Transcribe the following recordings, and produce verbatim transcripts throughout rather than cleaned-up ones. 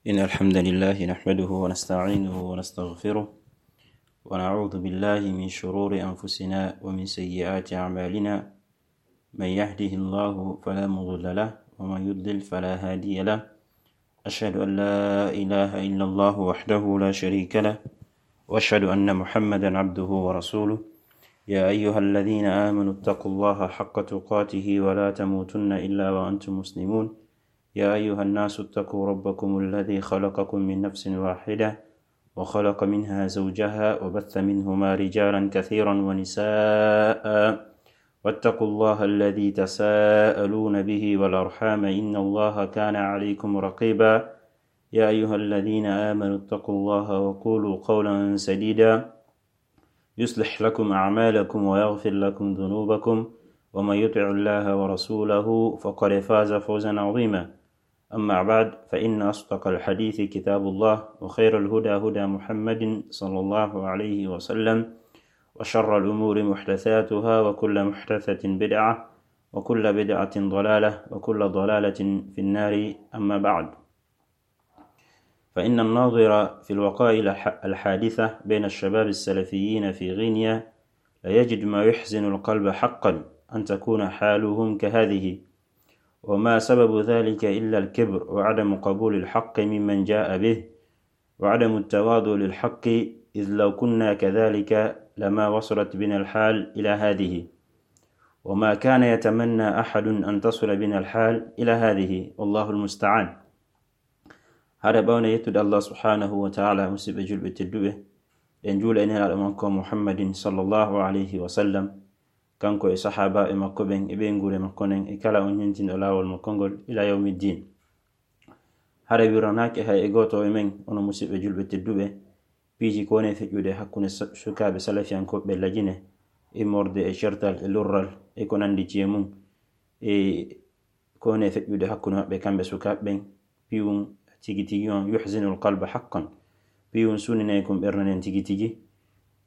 إن الحمد لله نحمده ونستعينه ونستغفره، ونعوذ بالله من شرور أنفسنا ومن سيئات أعمالنا. من يهده الله فلا مضل له، ومن يضلل فلا هادي له. أشهد أن لا إله إلا الله وحده لا شريك له، وأشهد أن محمدا عبده ورسوله. يا أيها الذين آمنوا اتقوا الله حق تقاته ولا تموتن إلا وأنتم مسلمون. يا أيها الناس اتقوا ربكم الذي خلقكم من نفس واحدة وخلق منها زوجها وبث منهما رجالا كثيرا ونساء، واتقوا الله الذي تساءلون به والأرحام إن الله كان عليكم رقيبا. يا أيها الذين آمنوا اتقوا الله وقولوا قولا سديدا يصلح لكم أعمالكم ويغفر لكم ذنوبكم، ومن يطع الله ورسوله فقد فاز فوزا عظيما. أما بعد، فإن أصدق الحديث كتاب الله، وخير الهدى هدى محمد صلى الله عليه وسلم، وشر الأمور محدثاتها، وكل محدثة بدعة، وكل بدعة ضلالة، وكل ضلالة في النار. أما بعد، فإن الناظر في الوقائع الح-، الحادثة بين الشباب السلفيين في غينيا ليجد ما يحزن القلب حقا أن تكون حالهم كهذه، وما سبب ذلك إلا الكبر وعدم قبول الحق ممن جاء به، وعدم التواضع للحق، إذ لو كنا كذلك لما وصلت بنا الحال إلى هذه، وما كان يتمنى أحد أن تصل بنا الحال إلى هذه، والله المستعان. Hara ɓawne yettude Allah subhanahu wa ta'ala, musidɓe julɓe tedduɓe, en juula e nelaaɗo makko Muhammadin sallallahu alayhi wa sallam, kanko e sahaabaaɓe makko ɓen e ɓeynguure makko nden e kala on ñentinɗo laawol makko ngol ila yawmi ddin. Hara wiranaake hay e gooto e men, onon musidɓe julɓe tedduɓe, piiji ko woni e feƴƴude hakkunde sa-, sukaaɓe salafiyankooɓe lajine, immorde e certal e lurral e ko nanndi ci e mum, e ko woni e feƴƴude hakkunde maɓɓe kamɓe sukaaɓe ɓen, piiwun tigi tigi on yuhzinul qalba haqqan, piiwun suninay kon ɓernde nden tigi tigi,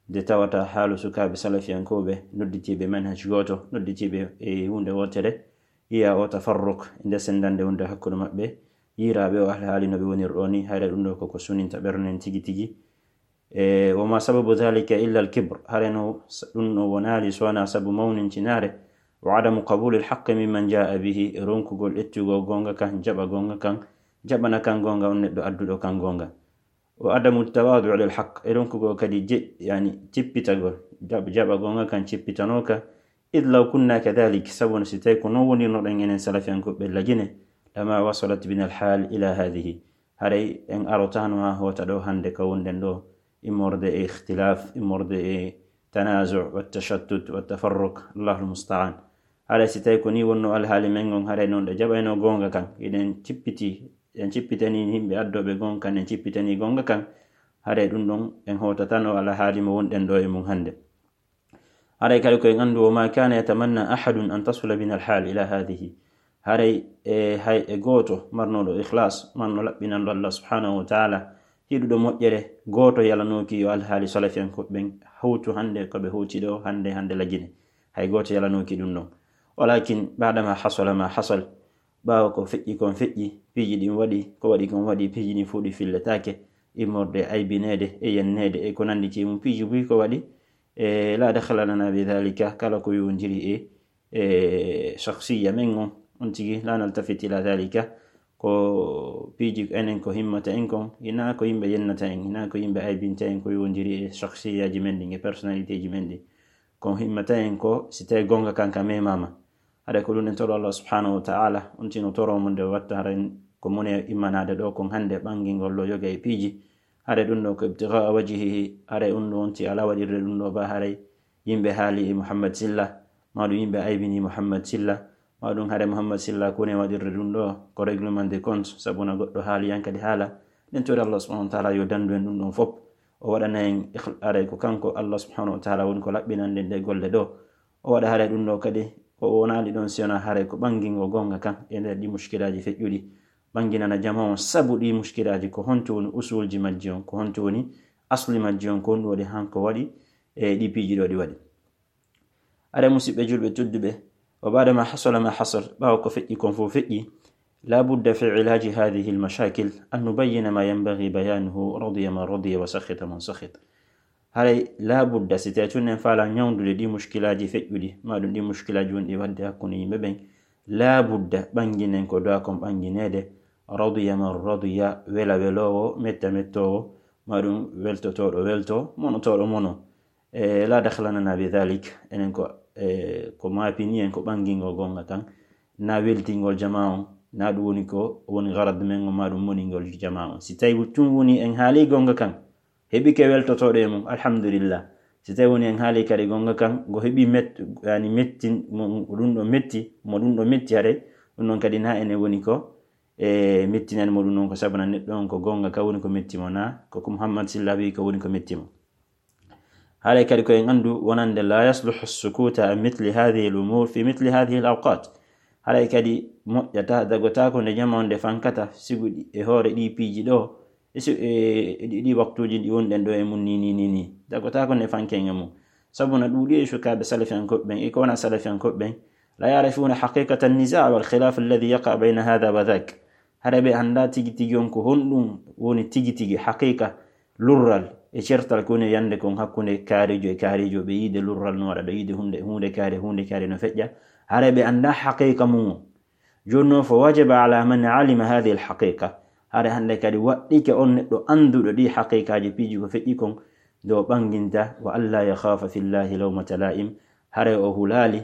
nde tawata haalu sukaaɓe salafiyankooɓe nodditiiɓe manhaj gooto, nodditiiɓe e huunde wootere, yiya o tafarruq e nde senndande wonde hakkunde maɓɓe, yiiraaɓe o alhaali no ɓe woniri ɗo ni, hayre ɗum ɗo koko suninta ɓernde nden tigi tigi. E, wa ma sababu dhalika illa al-kibr, hare no s-, ɗum no wonaali so wonaa sabu mawnincinaare, wa adamu qabuli al-haqqi mimman jaa bihi, e ronkugol ƴettugol goonga kan, jaɓa goonga kan, jaɓana kan goonga on neɗɗo adduɗo kan goonga. Wa adamu tawadu lil haqq, e ronkugol kadi je-, yani, cippitagol, jaɓ-, jaɓa goonga kan cippitanooka, id law kunna kadhalik, sabu no si tawi ko non wonirnoɗen enen salafiyankooɓe lajine, lama wasalat bina al-hal ila hadhihi. Haray en arotaano haa hoota ɗo hannde ka wonɗen ɗo, immorde e ikhtilaf, immorde e tanazu, wa tashattut, wa tafarruq, Allahul musta'an. Haray si tawi ko ni wonno alhaali men on, haray non ɗe jaɓayno goonga kan. Hiɗen cippiti, en cippitani yimɓe addooɓe goonga kan, en cippitani goonga kan. Haray ɗum ɗon en hootatano alhaali mo wonɗen ɗo e mum hannde. Haray kadi ko en anndu, wa ma kana yatamanna ahadun an tasula bina alhal ila hadhihi. Haray e, hay e gooto marnoɗo ikhlas, marno laɓɓinanɗo Allah subhanahu wa ta'ala, yiɗuɗo moƴƴere, gooto yalanooki yo alhaali salafiyankooɓe ɓen hawtu hannde ko ɓe hawti ɗo, hannde, hannde lajine. Hay gooto yalanooki ɗum ɗon. Walakin ba'da ma hasala ma hasal, ɓaawo ko feƴƴi kon feƴƴi, piiji ɗin waɗi, ko waɗi kon waɗi, piiji ɗin fof ɗi filletaake, immorde aybineede e yenneede e ko nanndi ci mum, piiji buy ko waɗi, e la dakhla lana bi dhalika, kala ko yowondiri e, e shakhsiyya men on, on tigi, la naltafit ila dhalika, ko piiji enen ko himmata en kon, hinaa ko yimɓe yennata en, hinaa ko yimɓe aybinta en ko yowondiri e shakhsiyyaaji men ɗin, e personnalité ji men ɗin. Ko himmata en ko si tawi goonga kan ka memaama. Haɗa ko ɗum en toro Allah subhanahu wa ta'ala, on tino toro mo nde watta haray ko mone immanaade ɗo kon hannde ɓangingol ɗo yoga e piiji. Haray ɗum ɗo ko ibtigha'a wajhihi, haray ɗum ɗo on ti ala waɗirde ɗum ɗo ba haray yimɓe haali e Muhammad Silla, ma ɗum yimɓe aybini Muhammad Silla, ma ɗum haray Muhammad Silla ko woni waɗirde ɗum ɗo ko règlement de compte, sabu na goɗɗo haali yan kadi haala. Ɗen tori Allah subhanahu wa ta'ala yo dandu en ɗum ɗon fop. O waɗana en ikhl-, haray ko kanko Allah subhanahu wa ta'ala woni ko laɓɓinande nde golle ɗo. O waɗa haray ɗum ɗo kadi, o wonaali ɗon si wonaa haray ko ɓangingo goonga kan e nder ɗi mushkilaaji feƴƴuɗi. Ɓanginana jama on sabu ɗi mushkilaaji, ko honto woni usulji majji on, ko honto woni asli majji on, ko honɗum waɗi hanko waɗi e ɗi piiji ɗo ɗi waɗi. Haray musidɓe julɓe tedduɓe, wa ba'da ma hasala ma hasal, ɓaawo ko feƴƴi kon fof feƴƴi, لا بد في علاج هذه المشاكل أن نبين ما ينبغي بيانه، رضي من رضي وسخط من سخط. Haray laa budda, si tawii tun en faalaa ñawndude ɗii muskilaaji feƴƴuɗi, maa ɗum ɗii muskilaaji wonɗi waɗde hakkunde yimɓe ɓen, laa budda ɓannginen ko doa kon ɓanngineede, radiya man radiya, wela weloowo, metta mettoowo, maa ɗum weltotooɗo weltoo, monotooɗo monoo. E laa dakhla lana bi dhalik, enen ko, e, ko maapini en ko ɓanngingol gonnga kan, naa weltingol jamaa on, naa ɗum woni ko woni garad men on, maa ɗum moningol jamaa on. Si tawii tun woni en haalii gonnga kan, heɓike weltotooɗo e mum, alhamdulillah. Si tawii woni en haalii kadi gonnga kan, ngo heɓi met-, yani mettin-, mo, mo ɗum ɗo metti, mo ɗum ɗo metti haray, ɗum ɗon kadi naa enen woni ko, e, mettinani mo ɗum ɗon ko sabuna neɗɗo on ko gonnga kan woni ko metti mo naa, ko ko Muhammad Silla wi ko woni ko metti mo. Haray kadi ko en anndu wonande لا يصلح السكوت عن مثل هذه الأمور في مثل هذه الأوقات. Haray kadi moƴƴataa, dagotaako nde jamaa on nde fankata, sigu ɗi, e hoore ɗii piiji ɗoo, e si, e, e ɗi, ɗi waktuuji ɗi wonɗen ɗoo e mum ni, ni, ni, ni. Dagotaako nde fanken e mum. Sabuna ɗuuɗi e sukaaɓe salafiyankooɓe ɓen, e ko wonaa salafiyankooɓe ɓen, لا يعرفون حقيقة النزاع والخلاف الذي يقع بين هذا وذاك. Haray ɓe anndaa tigi tigi on ko honɗum woni tigi tigi haqiqa lurral e certal ko woni yande kon hakkunde kaarijo e kaarijo, ɓe yiide lurral no waɗa ɗo, yiide huunde, huunde kaari, huunde kaari no feƴƴa. Haray ɓe anndaa haqiqa mum on. Jooni non, فوجب على من علم هذه الحقيقة. Haray hannde kadi waɗɗike on neɗɗo annduɗo ɗii haqiqaaji piiji ko feƴƴi kon, nde o ɓannginta, وألا يخاف في الله لومة لائم. Haray o hulaali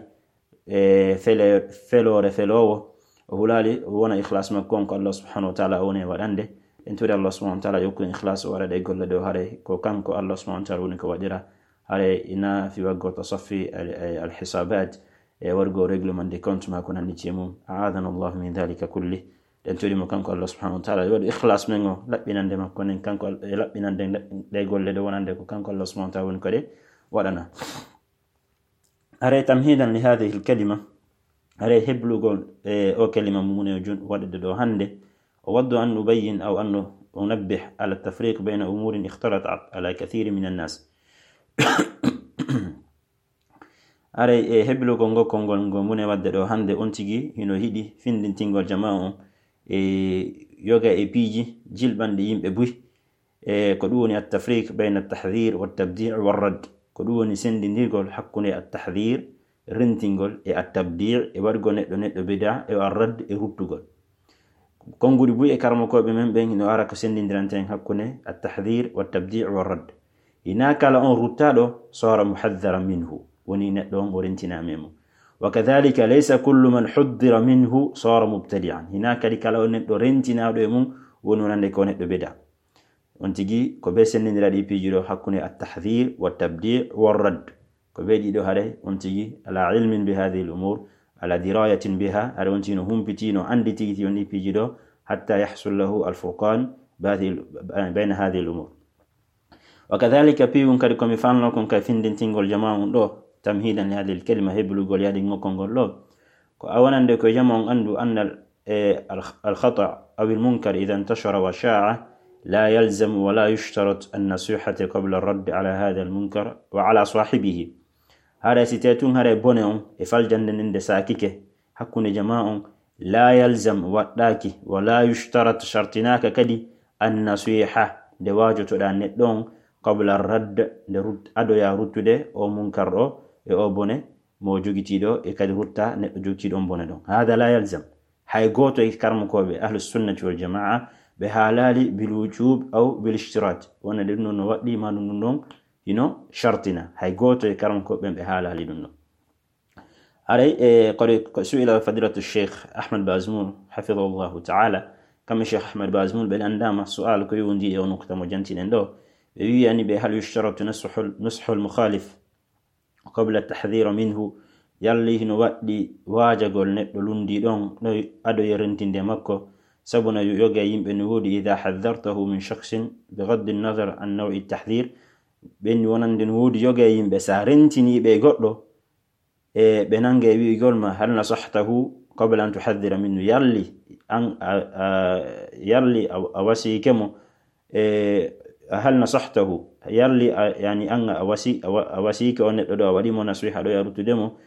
e fele-, feloore feloowo, o hulaali, o wona ikhlas makko on ko Allah subhanahu wa ta'ala o woni e waɗande. En tori Allah subhanahu wa ta'ala yokku en ikhlas o waɗa ɗee golle ɗoo, haray ko kanko Allah subhanahu wa ta'ala woni ko waɗira. Haray ina fi waggo tasaffi al, al, al hisabat, e wargo règlement de compte maa ko nanndi e mum. أعاذنا الله من ذلك كله. En tori mo kanko Allah subhanahu wa ta'ala, yo waɗu ikhlas men o, laɓɓinande makko nden, kanko Al-, e laɓɓinande ɗee golle ɗoo wonande ko kanko Allah subhanahu wa ta'ala woni ko ɗe waɗana. Haray تمهيدا لهذه الكلمة, haray heblugol, e, o kalima mum o jun-, waɗude ɗoo hannde, أود أن أبين أو أن أنبه على التفريق بين أمور اختلطت على كثير من الناس. Haray e heblugol ngol konngol ngol mune waɗde ɗoo hannde, on tigi hino yiɗi findintingol jamaa on e yoga e piiji jilɓanɗi yimɓe buy. E ko ɗum woni التفريق بين التحذير والتبديع والرد. Ko ɗum woni senndindirgol hakkunde التحذير, rentingol, e التبديع, e waɗugol neɗɗo neɗɗo bida, e الرد, e ruttugol. Konnguɗi buy e karamokooɓe men ɓen no ara ko senndindirante en hakkunde التحذير والتبديع والرد. Hinaa kala on ruttaaɗo صار محذرا منه, woni neɗɗo on o rentinaama e mum. وكذلك ليس كل من حذر منه صار مبتدعا. Hinaa kadi kala on neɗɗo rentinaaɗo e mum woni wonande ko neɗɗo bida. On tigi ko bee senndindira ɗii piiji ɗoo hakkunde التحذير والتبديع والرد. Ko bee ɗii ɗoo haray on tigi على علم بهذه الأمور، على دراية بها, haray on tigi no humpiti, no anndi tigi tigi on ɗii piiji ɗoo, حتى يحصل له الفرقان بهذه ال-، بين هذه الأمور. وكذلك, piiwun kadi ko mi faalnoo kon ka findintingol jamaa on ɗoo, تمهيدا لهذه الكلمة, heblugol yaɗingol konngol ɗoo, ko a wonande ko jamaa on anndu أن ال-، e, الخ-، الخطأ أو المنكر إذا انتشر وشاع لا يلزم ولا يشترط النصيحة قبل الرد على هذا المنكر وعلى صاحبه. Haray si tawii tun haray bone on e faljannde nden nde saakike hakkunde jamaa on, لا يلزم, waɗɗaaki, ولا يشترط, sartinaaka kadi, النصيحة, nde waajotoɗaa neɗɗo on, قبل الرد, nde rut-, adoyaa ruttude o munkar ɗoo e o bone mo jogitii ɗoo, e kadi ruttaa neɗɗo jogitiiɗo on bone ɗon. هذا لا يلزم. Hay gooto e karamokooɓe Ahlus Sunnati wal Jamaa ɓe haalaali بالوجوب أو بالاشتراط. Wonande ɗum ɗon no waɗɗii, maa ɗum ɗum ɗon hino sartina. Hay gooto e karamokooɓe ɓen ɓe haalaali ɗum ɗon. Haray, e, kadi ko سئل فضيلة الشيخ أحمد بازمول حفظه الله تعالى. Kamɓe Cheikh Ahmad Bazmul ɓe lanndaama su'aal ko yowondii e o nukta mo jantiɗen ɗoo. Ɓe wi'ani ɓe: هل يشترط نصح، نصح المخالف قبل التحذير منه؟ Yalli hino waɗɗii waajagol neɗɗo lunndiiɗo on ɗo ado e rentinde makko? Sabuna yo-, yoga e yimɓe no woodi, إذا حذرته من شخص بغض النظر عن نوع التحذير. Ɓen wonande no woodi yoga e yimɓe, si a rentinii ɓe e goɗɗo, e ɓe nannga e wi'ugol ma: هل نصحته قبل أن تحذر منه؟ Yalli an a, a, yalli a, a wasiike mo, e, هل نصحته؟ Yalli a, yani an a wasi-, a wa-, a wasiike on neɗɗo ɗoo, a waɗii mo nasiha ɗoo e a ruttude mo.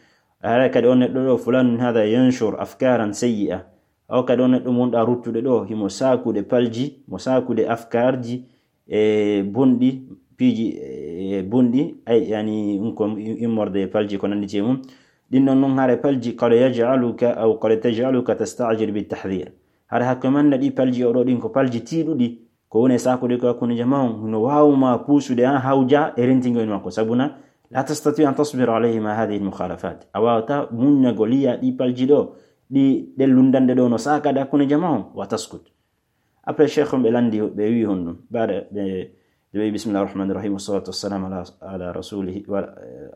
Haray kadi on neɗɗo ɗoo, فلان هذا ينشر أفكارا سيئة. Awa kadi on neɗɗo mo wonɗa ruttude ɗo, himo saakude palji, mo saakude afkaarji e bonɗi, piiji e bonɗi, ay, yani, ɗum ko immorde e palji ko nandi e mum. Ɗin ɗon non hare palji, qad yaj'aluka aw qad taj'aluka tasta'jilu bit tahdhir. Hare hakko manna ɗi palji oɗo ɗin ko palji tiiɗuɗi, ko woni e saakude ko hakkunde jama on, no waawu ma puusude an hawja e rentingol makko. Sabuna, la tastati an tasbira alayhi ma hadhihi al mukhalafat. A waawata muññagol yiya ɗi palji ɗo, ɗi ɗen lundande ɗo no saakade hakkunde jama on, wa taskut. Après, cheikh on ɓe landi, ɓe wi honɗum? Baada ɓe, ɓe wi, bismillahir rahmanir rahim, wassalatu wassalamu ala, ala rasulihi, wa,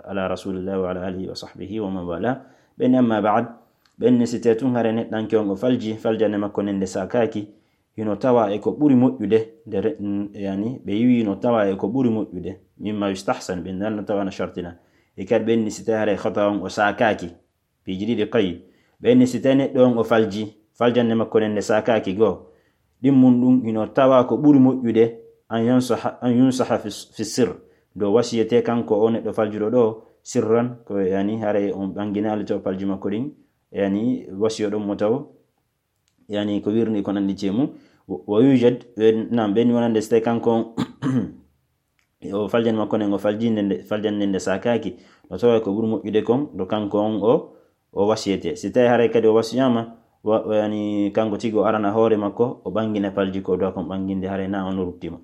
ala rasulillahi wa ala alihi wa sahbihi wa man wala. Ɓen amma ba'd, ɓen ni si te tun hare neɗɗanke on o falji, faljande makko nden nde saakaaki, hino tawa e ko ɓuri moƴƴude, nde re-, n-, yani, ɓe yiwi no tawa e ko ɓuri moƴƴude, mimma yustahsan, ɓen nan no tawa no shartina. E kadi ɓen ni si te hare khata on o saakaaki, piiji ɗiɗi kay. Ɓen ni si tawi neɗɗo on o falji, faljande makko nden nde saakaaki goo. Ɗin mun ɗum hino tawa ko ɓuri moƴƴude, an yansaha, an yunsaha fi, fi sir. Do wasiyete kanko o neɗɗo faljuɗo ɗo, sirran, ko yani haray on ɓanginaali to palji makko ɗin, yani wasiyo ɗon mo taw, yani ko wirni ko nandi e mum. Wa, wa yujad, eh, naam, ɓen wonande si tawi kanko on o faljani makko nden, o faljinde nde, faljande nde saakaaki, no tawa ko ɓuri moƴƴude kon, do kanko on o, o wasiyete. Si tawi haray kadi o wasiyama, wa, wa, yani, kanko tigi o arana hoore makko, o ɓangina palji ko duwa kon ɓanginde, haray na on ruttima.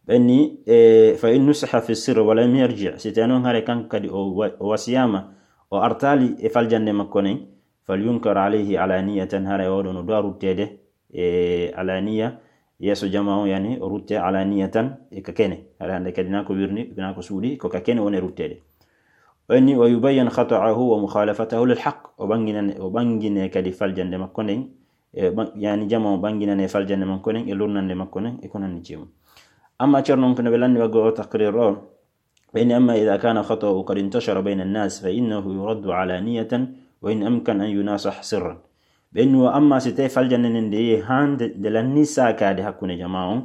Ɓen ni, e, fa in nusiha fi sirri wa lam yarji, si tawi non haray kanko kadi o wa-, o wasiyama, o artali e faljande makko nden, fal yunkar alayhi alaniyatan, haray oɗo no duwa ruttede, e alaniya, yeeso jama on, yani, o rutte alaniya tan, e ka kene. Haray hande kadi na ko wirni, na ko suuɗi, ko ka kene woni ruttede. O inni, wa yubayyan khata'ahu wa mukhalafatahu lil haqq. O ɓanginane, o ɓangine kadi faljande makko nden, e ɓa-, yani, jama on ɓanginane faljande makko nden, e lurnande makko nden, e ko nandi e mum. Amma ceerno on ko no ɓe lanni waggo o taqrir o, ɓen ni, amma idha kana khata'u qad intashara bayna an-nas fa innahu yuraddu alaniyatan wa in amkan an yunasah sirran. Ɓen ni, wa amma si tawi faljande nden nde yehi haa nde, nde lanni saakaade hakkunde jama on,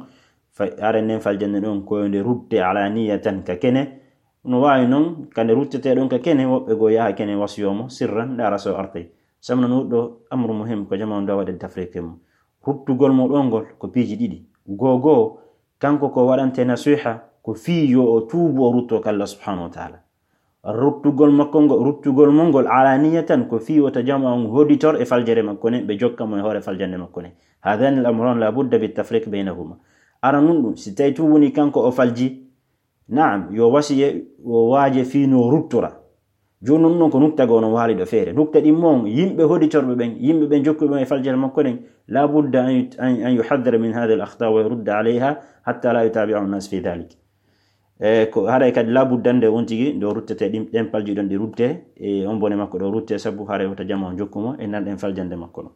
fa, are nden faljande ɗon ko nde rutte alaniyatan ka kene, no waawi non ka nde ruttete ɗon ka kene, woɓɓe goo yaha kene wasiyo mo sirran, ndaara so artay. Sabu non ɗo amru muhim ko jama on ɗo waɗa tafriqe mum. Ruttugol mo ɗon ngol ko piiji ɗiɗi. Goo goo, kanko ko waɗante nasiha, ko fii yo o tuubu, o rutto ka Allah subhanahu wa ta'ala. Ruttugol makko ngo, ruttugol mo ngol alaniyatan, ko fii wota jama on hoditor e faljere makko nden, ɓe jokka mo e hoore faljande makko nden. Hadhani al-amran la budda bit tafriq baynahuma. Aranun ɗum, si tawi tuubuni kanko o falji, naam, yo wasiye, o waaje fii no ruttora. Jooni non, non ko nukta goo no waali ɗo feere. Nukta ɗin mon, yimɓe hoditorɓe ɓen, yimɓe ɓen jokkuɓe ɓen e faljere makko ɗen, la budda an yut-, an, an yuhaddara min hadhihi al-akhta wa yurudda alayha hatta la yutabi'ahu an-nas fi dhalik. E, ko haray kadi la budda nde on tigi, nde o ruttete ɗin, ɗen palji ɗon ɗi rutte, e on bone makko ɗo rutte, sabu haray wota jama on jokku mo, e nan ɗen faljande makko ɗon.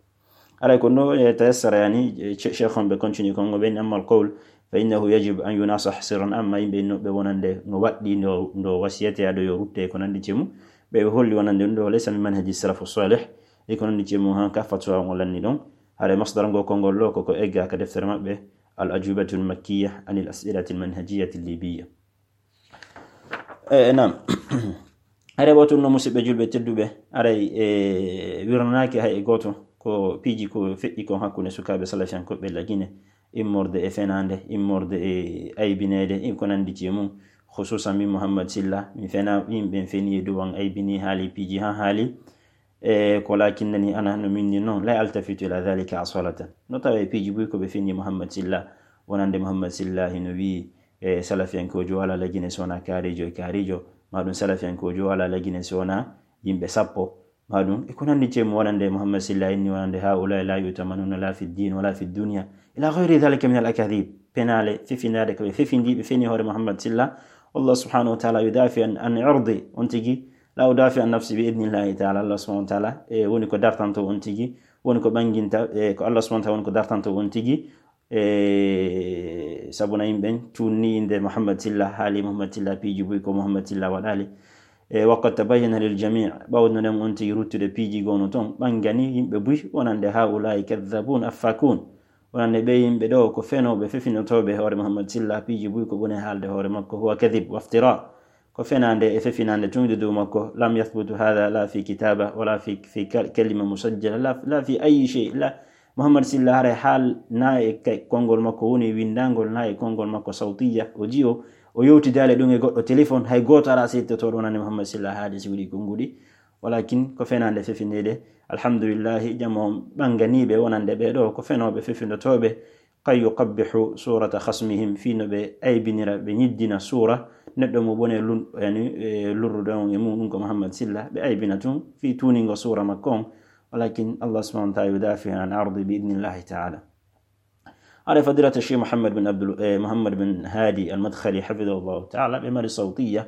Haray ko no, e, tayassara, yani, e, che-, cheikh on ɓe continue kon, o ɓen, amma al-qawl, fa innahu yajib an yunasah sirran, amma yimɓe innoɓe wonande no waɗɗi ndo, ndo wasiyete ado yo rutte ko nandi e mum, ɓe, ɓe holli wonande ɗum ɗo laysa min manhaji salafu salih, e ko nandi e mum han ka fatwa on lanni ɗon. Haray masdar ngo konngol ɗo ko, ko egga ka deftere maɓɓe, al ajubatu al makkiya anil as'ilati al manhajiyati al libiyya. E, naam. Haray ɓawto ɗum no, musidɓe julɓe tedduɓe, haray, e, wirnanaaki hay e gooto ko piiji ko feƴƴi kon hakkunde sukaaɓe salafiyankoɓe Lagine, immorde e fenaande, immorde e aybineede, e ko nandi e mum. Khususan min Muhammad Silla, mi fena, yimɓe feni e dow an, aybini, haali piiji haa haali. E ko lakinnani ana no min ni non, la altafitu ila dhalika asalatan. No tawa e piiji buy ko ɓe fini Muhammad Silla, wonande Muhammad Silla hino wi'i, e, salafiyankoojo wala Lagine so wona kaarijo e kaarijo, ma ɗum salafiyankoojo wala Lagine so wona yimɓe sappo, ma ɗum e ko nandi e mum, wonande Muhammad Silla inni wonande haula la yutamanuna la fi din wala fi dunya ila ghayri dhalika min al akadhib. Penaale fefindaade ko ɓe fefindi, ɓe feni hoore Muhammad Silla. Allah subhanahu wa ta'ala yudafi an, an irdi, on tigi, la udafi an nafsi bi idnillahi ta'ala. Allah subhanahu wa ta'ala, e, woni ko dartanto on tigi, woni ko ɓanginta, e, ko Allah subhanahu wa ta'ala woni ko dartanto on tigi. E, sabuna yimɓe tunni inde Muhammad Silla, haali Muhammad Silla, piiji buy ko Muhammad Silla waɗali. E, wa qad tabayyana lil jami', ɓawno nden on tigi ruttude piiji goo no ton, ɓangani yimɓe buy, wonande haula'i kadhabun affakun. Wonande ɓe yimɓe ɗo ko fenooɓe, fefinotooɓe hoore Muhammad Silla, piiji buy ko ɓuri haalde hoore makko, huwa kadhib waftira. Ko fenaande e fefinaande tun e dow makko. Lam yathbutu hadha la fi kitaba wala fi, fi kal-, kalima musajjala, la, la fi ayi shay, la. Muhammad Silla, haray haal na e kay-, konngol makko woni winndangol, na e konngol makko sawtiya, o jiyo, o yewtidaali ɗum e goɗɗo téléphone, hay gooto alaa seedtotooɗo wonande Muhammad Silla haali si wuli konnguɗi. Walakin ko fenaande fefindeede. Alhamdulillahi, jamo ɓannganiiɓe wonande ɓee ɗoo ko fenooɓe fefindotooɓe. Qad yuqabbihu surata khasmihim, fii no ɓe aybinira, ɓe ñiddina suura neɗɗo mo bone lun-, yani, e, lurrude on e muɗum ko Muhammad Silla, ɓe aybina tun fii tuuningo suura makko on. Walakin Allah subhanahu wa ta'ala yudafi an ardi bi idnillahi ta'ala. Haray fadilata Cheikh Muhammad bin Abdul, eh, Muhammad bin Hadi al-Madkhali, hafidahullahu ta'ala, ɓe mari sawtiya,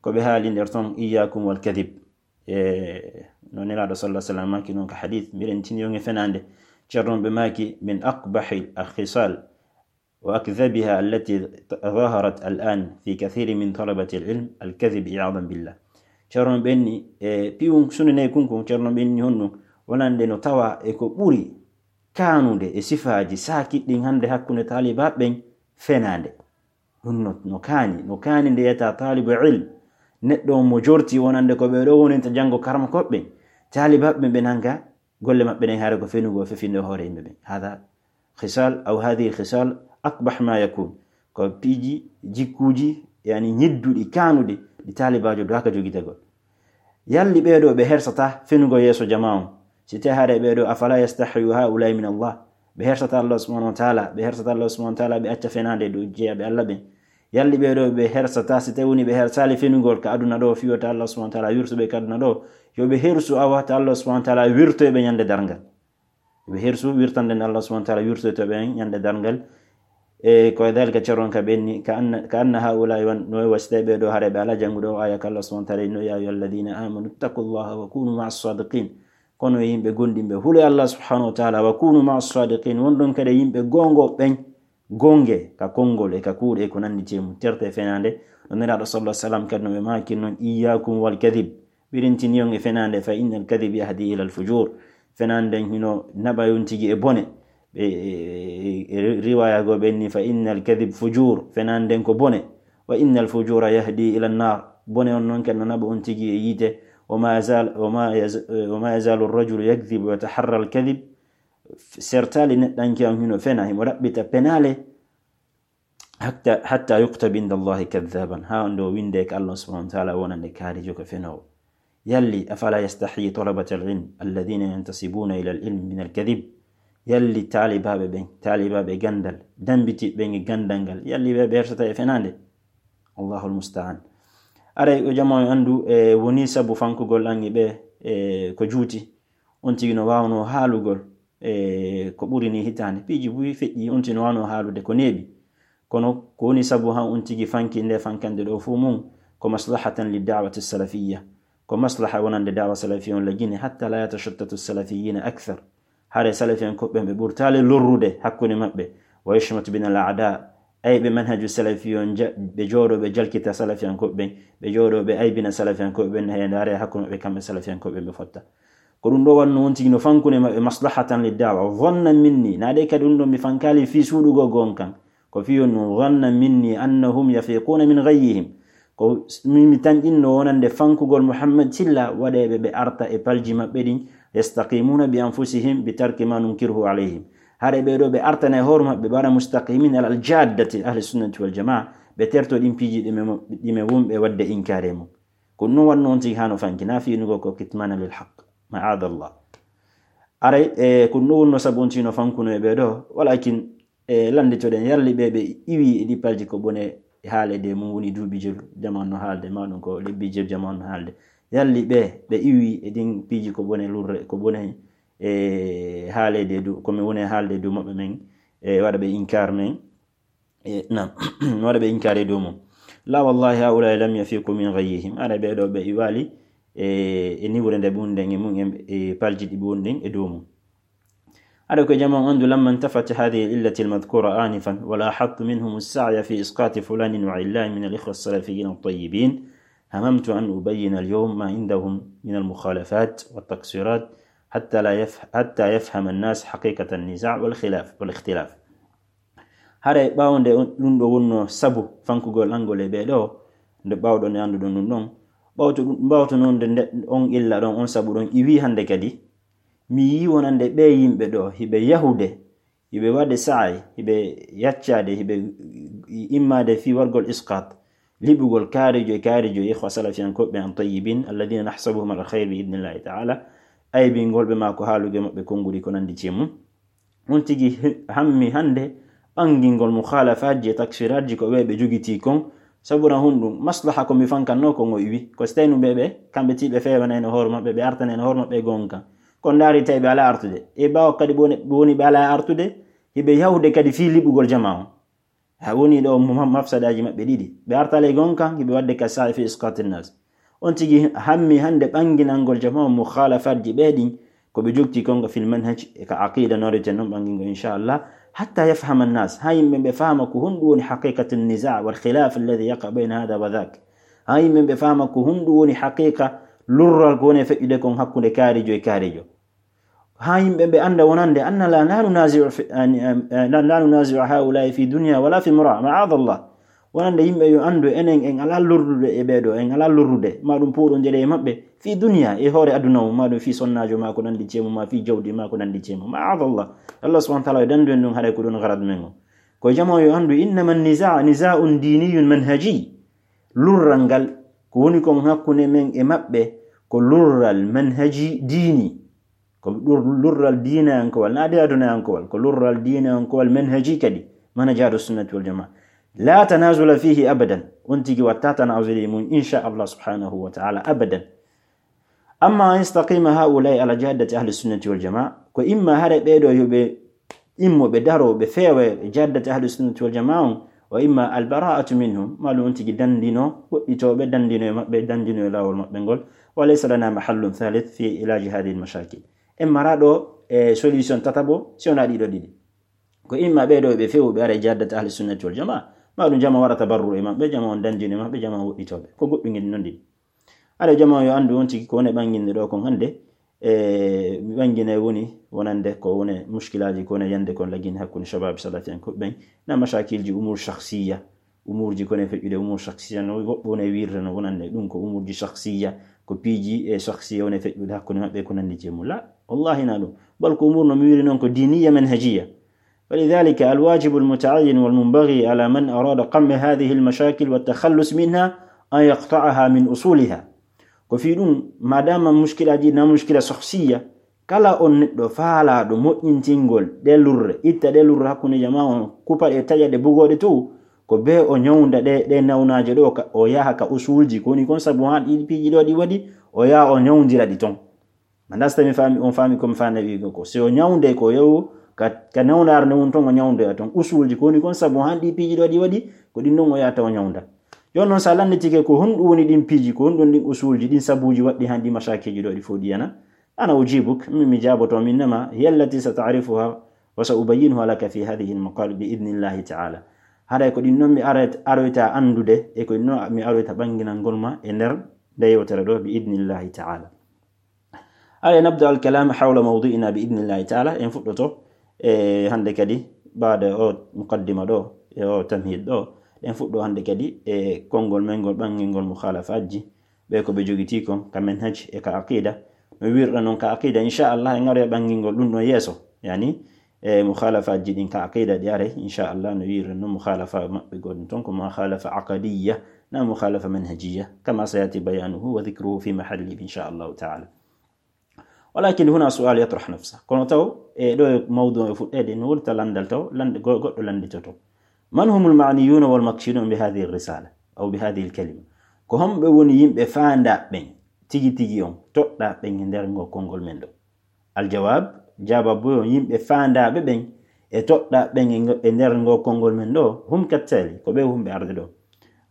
ko ɓe haali nder ton, iyyakum wal kadhib. E, no Nelaaɗo sallallahu alaihi wasallam maaki non ka hadith, miɗen tini on e fenaande. Ceerno ɓe maaki, min aqbahi al-khisal wa akdhabiha allati zaharat al-an fi kathiri min talabati al-ilm, al-kadhib iyadan billah. Ceerno ɓenni, e, piwun sunanay kun kun, Ceerno ɓenni honno, wonande no tawa e ko ɓuri kaanude e sifaaji saakiɗɗin hannde hakkunde taalibaaɓe ɓen, fenaande. Ɗum no, no kaani, no kaani nde yiyata taalibu ilm, neɗɗo on mo jorti wonande ko ɓee ɗoo woninta janngo karama koɓɓe ɓen. Taalibaaɓe ɓen ɓe nanga golle maɓɓe ɗen, haray ko fenugo, fefinde hoore yimɓe ɓen. Hada khisal, aw hadhihi khisal, akbah ma yakun. Ko piiji, jikkuuji, yani ñidduɗi, kaanuɗi, ɗi taalibaajo doaka jogitagol. Yalli ɓee ɗoo ɓe hersataa fenugo yeeso jamaa on? Si tawii haray ɓee ɗoo, afala yastahyu haulai min Allah? Ɓe hersataa Allah subhanahu wa ta'ala, ɓe hersataa Allah subhanahu wa ta'ala, ɓe acca fenaande e dow jeyaaɓe Allah ɓen. Yalli ɓee ɗoo ɓe hersataa, si tawii woni ɓe hersaali fenugol ka aduna ɗoo, fii wota Allah subhanahu wa ta'ala wirtu ɓe ka aduna ɗoo, yo ɓe hersu awa ta Allah subhanahu wa ta'ala wirtoy ɓe ñande darngal. Ɓe hersu wirtande nde Allah subhanahu wa ta'ala wirtoyto ɓe ñande darngal. E ko e dhalika, ceron ka ɓenni, ka anna, ka anna haulai wan, no e wasita ɓee ɗoo haray ɓe alaa janngude o aya ka Allah subhanahu wa ta'ala, no, ya ayyuhalladhina amanu ittaqullaha wa kunu ma'as sadiqin. Kono yimɓe gomɗinɓe, hulee Allah subhanahu wa ta'ala, wa kunu ma'as sadiqin, wonɗon kadi yimɓe goongo ɓen, goonge ka konngol e ka kuuɗe e ko nanndi e mum, terte e fenaande. No Nelaaɗo sallallahu alaihi wasallam kadi no ɓe maaki non, iyyakum wal kadhib. Ɓirintinee on e fenaande, fa innal kadhib yahdi ilal fujur. Fenaande nden hino naɓa on tigi e bone. Ɓe, e, e, e riwaya goo ɓe inni, fa innal kadhib fujur. Fenaande nden ko bone. Wa innal fujura yahdi ilan nar. Bone on non kadi no naɓa on tigi e yiite. Wa ma yazal, wa ma yaz-, wa ma yazalu rajulu yakdhibu wa yataharra al kadhib. Sertaali neɗɗanke on hino fena, himo ɗaɓɓita penaale. Hatta, hatta yuktaba inda Allahi kadhaban, haa ndo winde ka Allah subhanahu wa ta'ala wonande kaarijo ko fenoowo. Yalli, afala yastahyi talabatal ilm alladhina yantasibuna ila al ilm min al kadhib? Yalli taalibaaɓe ɓen, taalibaaɓe ganndal, dambitiiɓe ɓen e ganndal ngal, yalli ɓe, ɓe hersata e fenaande? Allahul musta'an. Aray, o jamaa on anndu, e, woni sabu fankugol an e ɓe, e, ko juuti. On tigi no waawnoo haalugol, e, ko ɓuri nii hitaande. Piiji buy feƴƴi, on tigi no waawnoo haalude ko neeɓi. Kono ko woni sabu han on tigi fanki nde fankande ɗoo fuu mum, ko maslahatan li da'wati salafiyya. Ko maslaha wonande da'wa salafiyya on la Guinée, hatta la yatashattatu salafiyyina akthar. Hare salafiyankooɓe ɓen ɓe ɓurtaali lorrude hakkunde maɓɓe. Wa yushmatu bina al a'da. Ay ɓe manhaju salafiyya on ja-, ɓe jooɗoo ɓe jalkita salafiyankooɓe ɓen, ɓe jooɗoo ɓe aybina salafiyankooɓe ɓen, heen hare hakkunde maɓɓe kamɓe salafiyankooɓe ɓen ɓe fotta. Ko ɗum ɗoo wonno on tigi no fankunde maɓɓe maslahatan li da'wa. Dhannan minni, naa ɗe kadi ɗum ɗoo mi fankaali fii suuɗugol goonka. Ko fii on ɗum, dhannan minni annahum yafiquna min ghayyihim. Ko s-, mi, mi tanƴinno wonande fankugol Muhammad Silla, waɗeeɓe ɓe arta e palji maɓɓe ɗin, yastaqimuna bi anfusihim bi tarki ma nunkirhu alayhim. Hare ɓee ɗoo ɓe artana e hoore maɓɓe, ɓe waɗa mustaqimin alal jaddati ahli sunnati wal jamaa, ɓe terto ɗin piiji ɗi ɓe mo-, ɗi ɓe wonɓe waɗde inkaare mum. Ko ɗum wonno on tigi hano fanki, na fiinugo ko kitmana lil haqq. Ma'adallah. Aray, e, ko ɗum wonno sabu on tigi no fankuno e ɓee ɗoo, walakin, e, lannditoɗen, yalli ɓe, ɓe iwi e ɗi palji ko bone haaleede mum woni duuɓi jeelu, jamaa no haalde, ma ɗum ko lebbi jeelu jamaa no haalde. Yalli ɓe, ɓe iwi e ɗin piiji ko bone lurre, ko bone, e, haaleede du, ko mi woni haalde du maɓɓe men, e, waɗa ɓe inkaar men. E, naam, mi waɗa ɓe inkaare dow mum. La wallahi, haulai lam yafiqu min ghayyihim. Ara ɓee ɗoo ɓe iwaali, e, e niwre nde ɓe wonɗen e mum, e, e palji ɗi ɓe wonɗen e dow mum. Ara ko jamaa on anndu, lamma intafat hadhihi al-illati al-madhkura anifan, wa lahadtu minhum as-sa'ya fi isqati fulanin wa illanin min al-ikhwa as-salafiyyin at-tayyibin, hamamtu an ubayyina al-yawm ma indahum min al-mukhalafat wa at-taqsirat, hatta la yaf-, hatta yafhama an-nas haqiqata an-niza' wal khilaf, wal ikhtilaf. Haray ɓaawo nde on, ɗum ɗoo wonno sabu fankugol an ngol e ɓee ɗoo, nde ɓawɗon e annduɗon ɗum ɗon. Ɓawto ɗum, ɓawto noon nde, nde on illa ɗon, on sabu ɗon, iwi hannde kadi, mi yii wonande ɓee yimɓe ɗo, hiɓe yahude, hiɓe waɗde sa'ay, hiɓe yaccaade, hiɓe immaade fii wargol isqat, liɓugol kaarijo e kaarijo e ikhwa salafiyankooɓe an tayyibin, alladhina nahsabuhum ala khayr bi idnillahi ta'ala, aybingol ɓe maa ko haalugo e maɓɓe konnguɗi ko nanndi cee mum. On tigi hi-, hammi hannde ɓangingol mukhalafaaji e takfiraaji ko ɓe ɓe jogitii kon, sabu na honɗum maslaha ko mi fankannoo ko ngo iwi, ko si tawi no ɓe ɓe, kamɓe tii ɓe feewanayno hoore maɓɓe, ɓe artanayno hoore maɓɓe e goonga kan. Ko ndaari tawi ɓe alaa artude. E ɓaawo kadi ɓe woni, ɓe woni ɓe alaa artude, hiɓe yahude kadi fii liɓugol jamaa on. Ha woni ɗo mo-, mafsadaaji maɓɓe ɗiɗi. Ɓe artaali e goonga kan, hiɓe waɗde ka sa'i fi isqatin nas. On tigi hammi hannde ɓanginangol jamaa on mukhalafaaji ɓe ɗin, ko ɓe jogti kon ko fil manhaj e ka aqida no reten non ɓangingol, inchallah, hatta yafhama an-nas, ha yimɓe ɓe faama ko honɗum woni haqiqatu an-niza' wal khilaf alladhi yaqa bayna hadha wa dhak. Ha yimɓe ɓe faama ko honɗum woni haqiqa lurral ko woni e feƴƴude kon hakkunde kaarijo e kaarijo. Ha yimɓe ɓe annda wonande anna la, la nunazi'u fi, an, an, an, la, la nunazi'u haula'i fi dunya wala fi mura, ma'adallah. Wonande yimɓe yo anndu enen en alaa lorrude e ɓee ɗoo, en alaa lorrude, maa ɗum pooɗondire e maɓɓe fii duniya, e hoore aduna o, maa ɗum fii sonnaajo maa ko nanndi ceemu, maa fii jawdi maa ko nanndi ceemu. Ma'adallah. Allah subhanahu wa ta'ala yo danndu en ɗum haray ko ɗum garad men o. Ko jamaa yo anndu innama an-niza', niza'un diniyun manhaji. Lurral ngal ko woni kon hakkunde men e maɓɓe ko lurral manhaji diini. Ko lur-, lurral diinayankowal, naa de adunayankowal, ko lurral diinayankowal manhaji kadi, manhaji ahlu sunnati wal jamaa. La tanazula fihi abadan. On tigi watta tanazuli mun, insha Allah subhanahu wa ta'ala, abadan. Amma an yastaqima haula'i ala jaddati ahli sunnati wal jamaa, ko imma hare ɓee ɗoo yo ɓe immo ɓe daro ɓe feewa e jaddati ahli sunnati wal jamaa on, wa imma al bara'atu minhum, maa ɗum on tigi dandino, woɗɗitoo ɓe dandino e maɓɓe, dandino e laawol maɓɓe ngol. Wa laysa lana mahallun thalith fi ilaji hadhihi al mashakil. En maraa ɗo e solution tataɓo, si wonaa ɗiɗo ɗiɗi. Ko imma ɓee ɗoo ɓe feewu ɓe ara e jaddati ahli sunnati wal jamaa, maa ɗum jamaa waɗa tabarru e maɓɓe, jamaa on dandino e maɓɓe, jamaa on woɗɗitoo ɓe. Ko goɗɗum ngel non ɗiɗi. Haray jamaa yo anndu on tigi ko woni ɓanginde ɗoo kon hannde, e mi ɓanginay woni wonande ko woni mushkilaaji ko woni yande kon lagine hakkunde shabaab salafiyankooɓe ɓen, na mashakilji umur shakhsiya, umurji ko woni feƴƴude umur shakhsiya no woɓɓe woni wiirde no wonande ɗum ko umurji shakhsiya, ko piiji e shakhsiya woni feƴƴude hakkunde maɓɓe ko nanndi ceemu. La, wallahi na ɗum. Bal ko umur no mi wiiri non ko diiniya manhajiya. فلذلك الواجب المتعين والمنبغي على من أراد قمع هذه المشاكل والتخلص منها أن يقطعها من أصولها. Ko fii ɗum, maadaama mushkilaaji na mushkila shakhsiya, kala on neɗɗo faalaaɗo moƴƴintingol ɗe lurre, itta ɗe lurre hakkunde jamaa on, kupa ɗe, taƴa ɗe, bugoo ɗe tow, ko bee o ñawnda ɗe, ɗe nawnaaje ɗo, ka, o yaha ka usulji, ko woni kon sabu haa ɗi piiji ɗo ɗi waɗi, o yaha o ñawndira ɗi ton. Ma nasta mi faami, on faami ko mi faami wi'ugo ko. Si o ñawnde ko yewu ka, ka nawnaare nde woni ton o ñawndoya ton. Usulji ko woni kon sabu haa ɗi piiji ɗo ɗi waɗi, ko ɗin non o yahata o ñawnda. Jooni non si a lannditike ko honɗum woni ɗin piiji, ko honɗum ɗin usulji, ɗin sabuuji waɗɗi haa ɗi mashakiiji ɗo ɗi fof ɗi yana? Ana ujibuk, min mi jaaboto, min nama, hiya allati sa ta'rifuha wa sa ubayyinuha laka fi hadhihi al-maqal bi idnillahi ta'ala. Haray ko ɗin non mi aroyta, aroyta anndude, e ko ɗin non mi aroyta ɓannginangol ma e nder nde yewtere ɗo bi idnillahi ta'ala. Aye, nabda al-kalam hawla mawdu'ina bi idnillahi ta'ala. En fuɗɗoto, e, hannde kadi, baada o muqaddima ɗo, e o tamhid ɗo, en fuɗɗo hannde kadi e konngol men ngol ɓanngingol mukhalafaaji, ɓe ko ɓe jogitii kon ka manhaj e ka aqida. No wiirɗa non ka aqida, inchallah, en aroya ɓanngingol ɗum ɗon yeeso. Yani, e mukhalafaaji ɗin ka aqida ɗi aray, inchallah, no wiirɗa non mukhalafa maɓɓe goɗɗum ton ko mukhalafa aqadiyya, na mukhalafa manhajiyya, kama sayati bayanuhu wa dhikruhu fi mahallihi, inchallahu ta'ala. Walakin huna su'al yatrah nafsa. Kono taw, e ɗo e mawdu e fuɗɗeede, no woni ta lanndal taw, lannde go-, goɗɗo lannditoto. Man humul ma'niyuna wal maqsudun bi hadhihi risala, aw bi hadhihi kalima? Ko homɓe woni yimɓe faandaa ɓen, tigi tigi on, toɗɗaa ɓen e nder ngo konngol men ɗo? Al jawab, jaababu on, yimɓe faandaaɓe ɓen e toɗɗaa ɓen e ngo-, e nder ngo konngol men ɗo, hum kattali, ko ɓe wonɓe arde ɗo.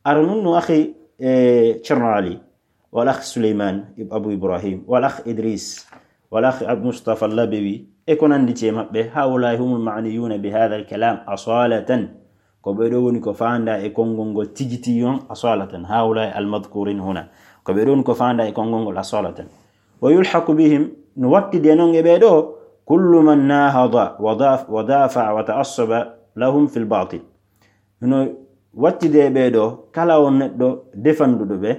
Ara nun no akhi, e, Ceerno Ali, wal akh Suleyman ib-, Abu Ibrahim, wal akh Idris, wal akh Ab-, Mustafa Labewi, e ko nanndi e maɓɓe, haulai humul ma'niyuna bi hadha al kalam asalatan. Ko ɓe ɗo woni ko faandaa e konngol ngol tigi tigi on asalatan. Haulai al madhkurin huna. Ko ɓe ɗo woni ko faandaa e konngol ngol asalatan. Wa yulhaqu bihim, no wattidi e non e ɓe ɗo, kullu man nahada wa daf-, wa dafa'a wa ta'assaba lahum fil batil. No Wattidee ɓee ɗoo, kala on neɗɗo defanduɗo ɓe,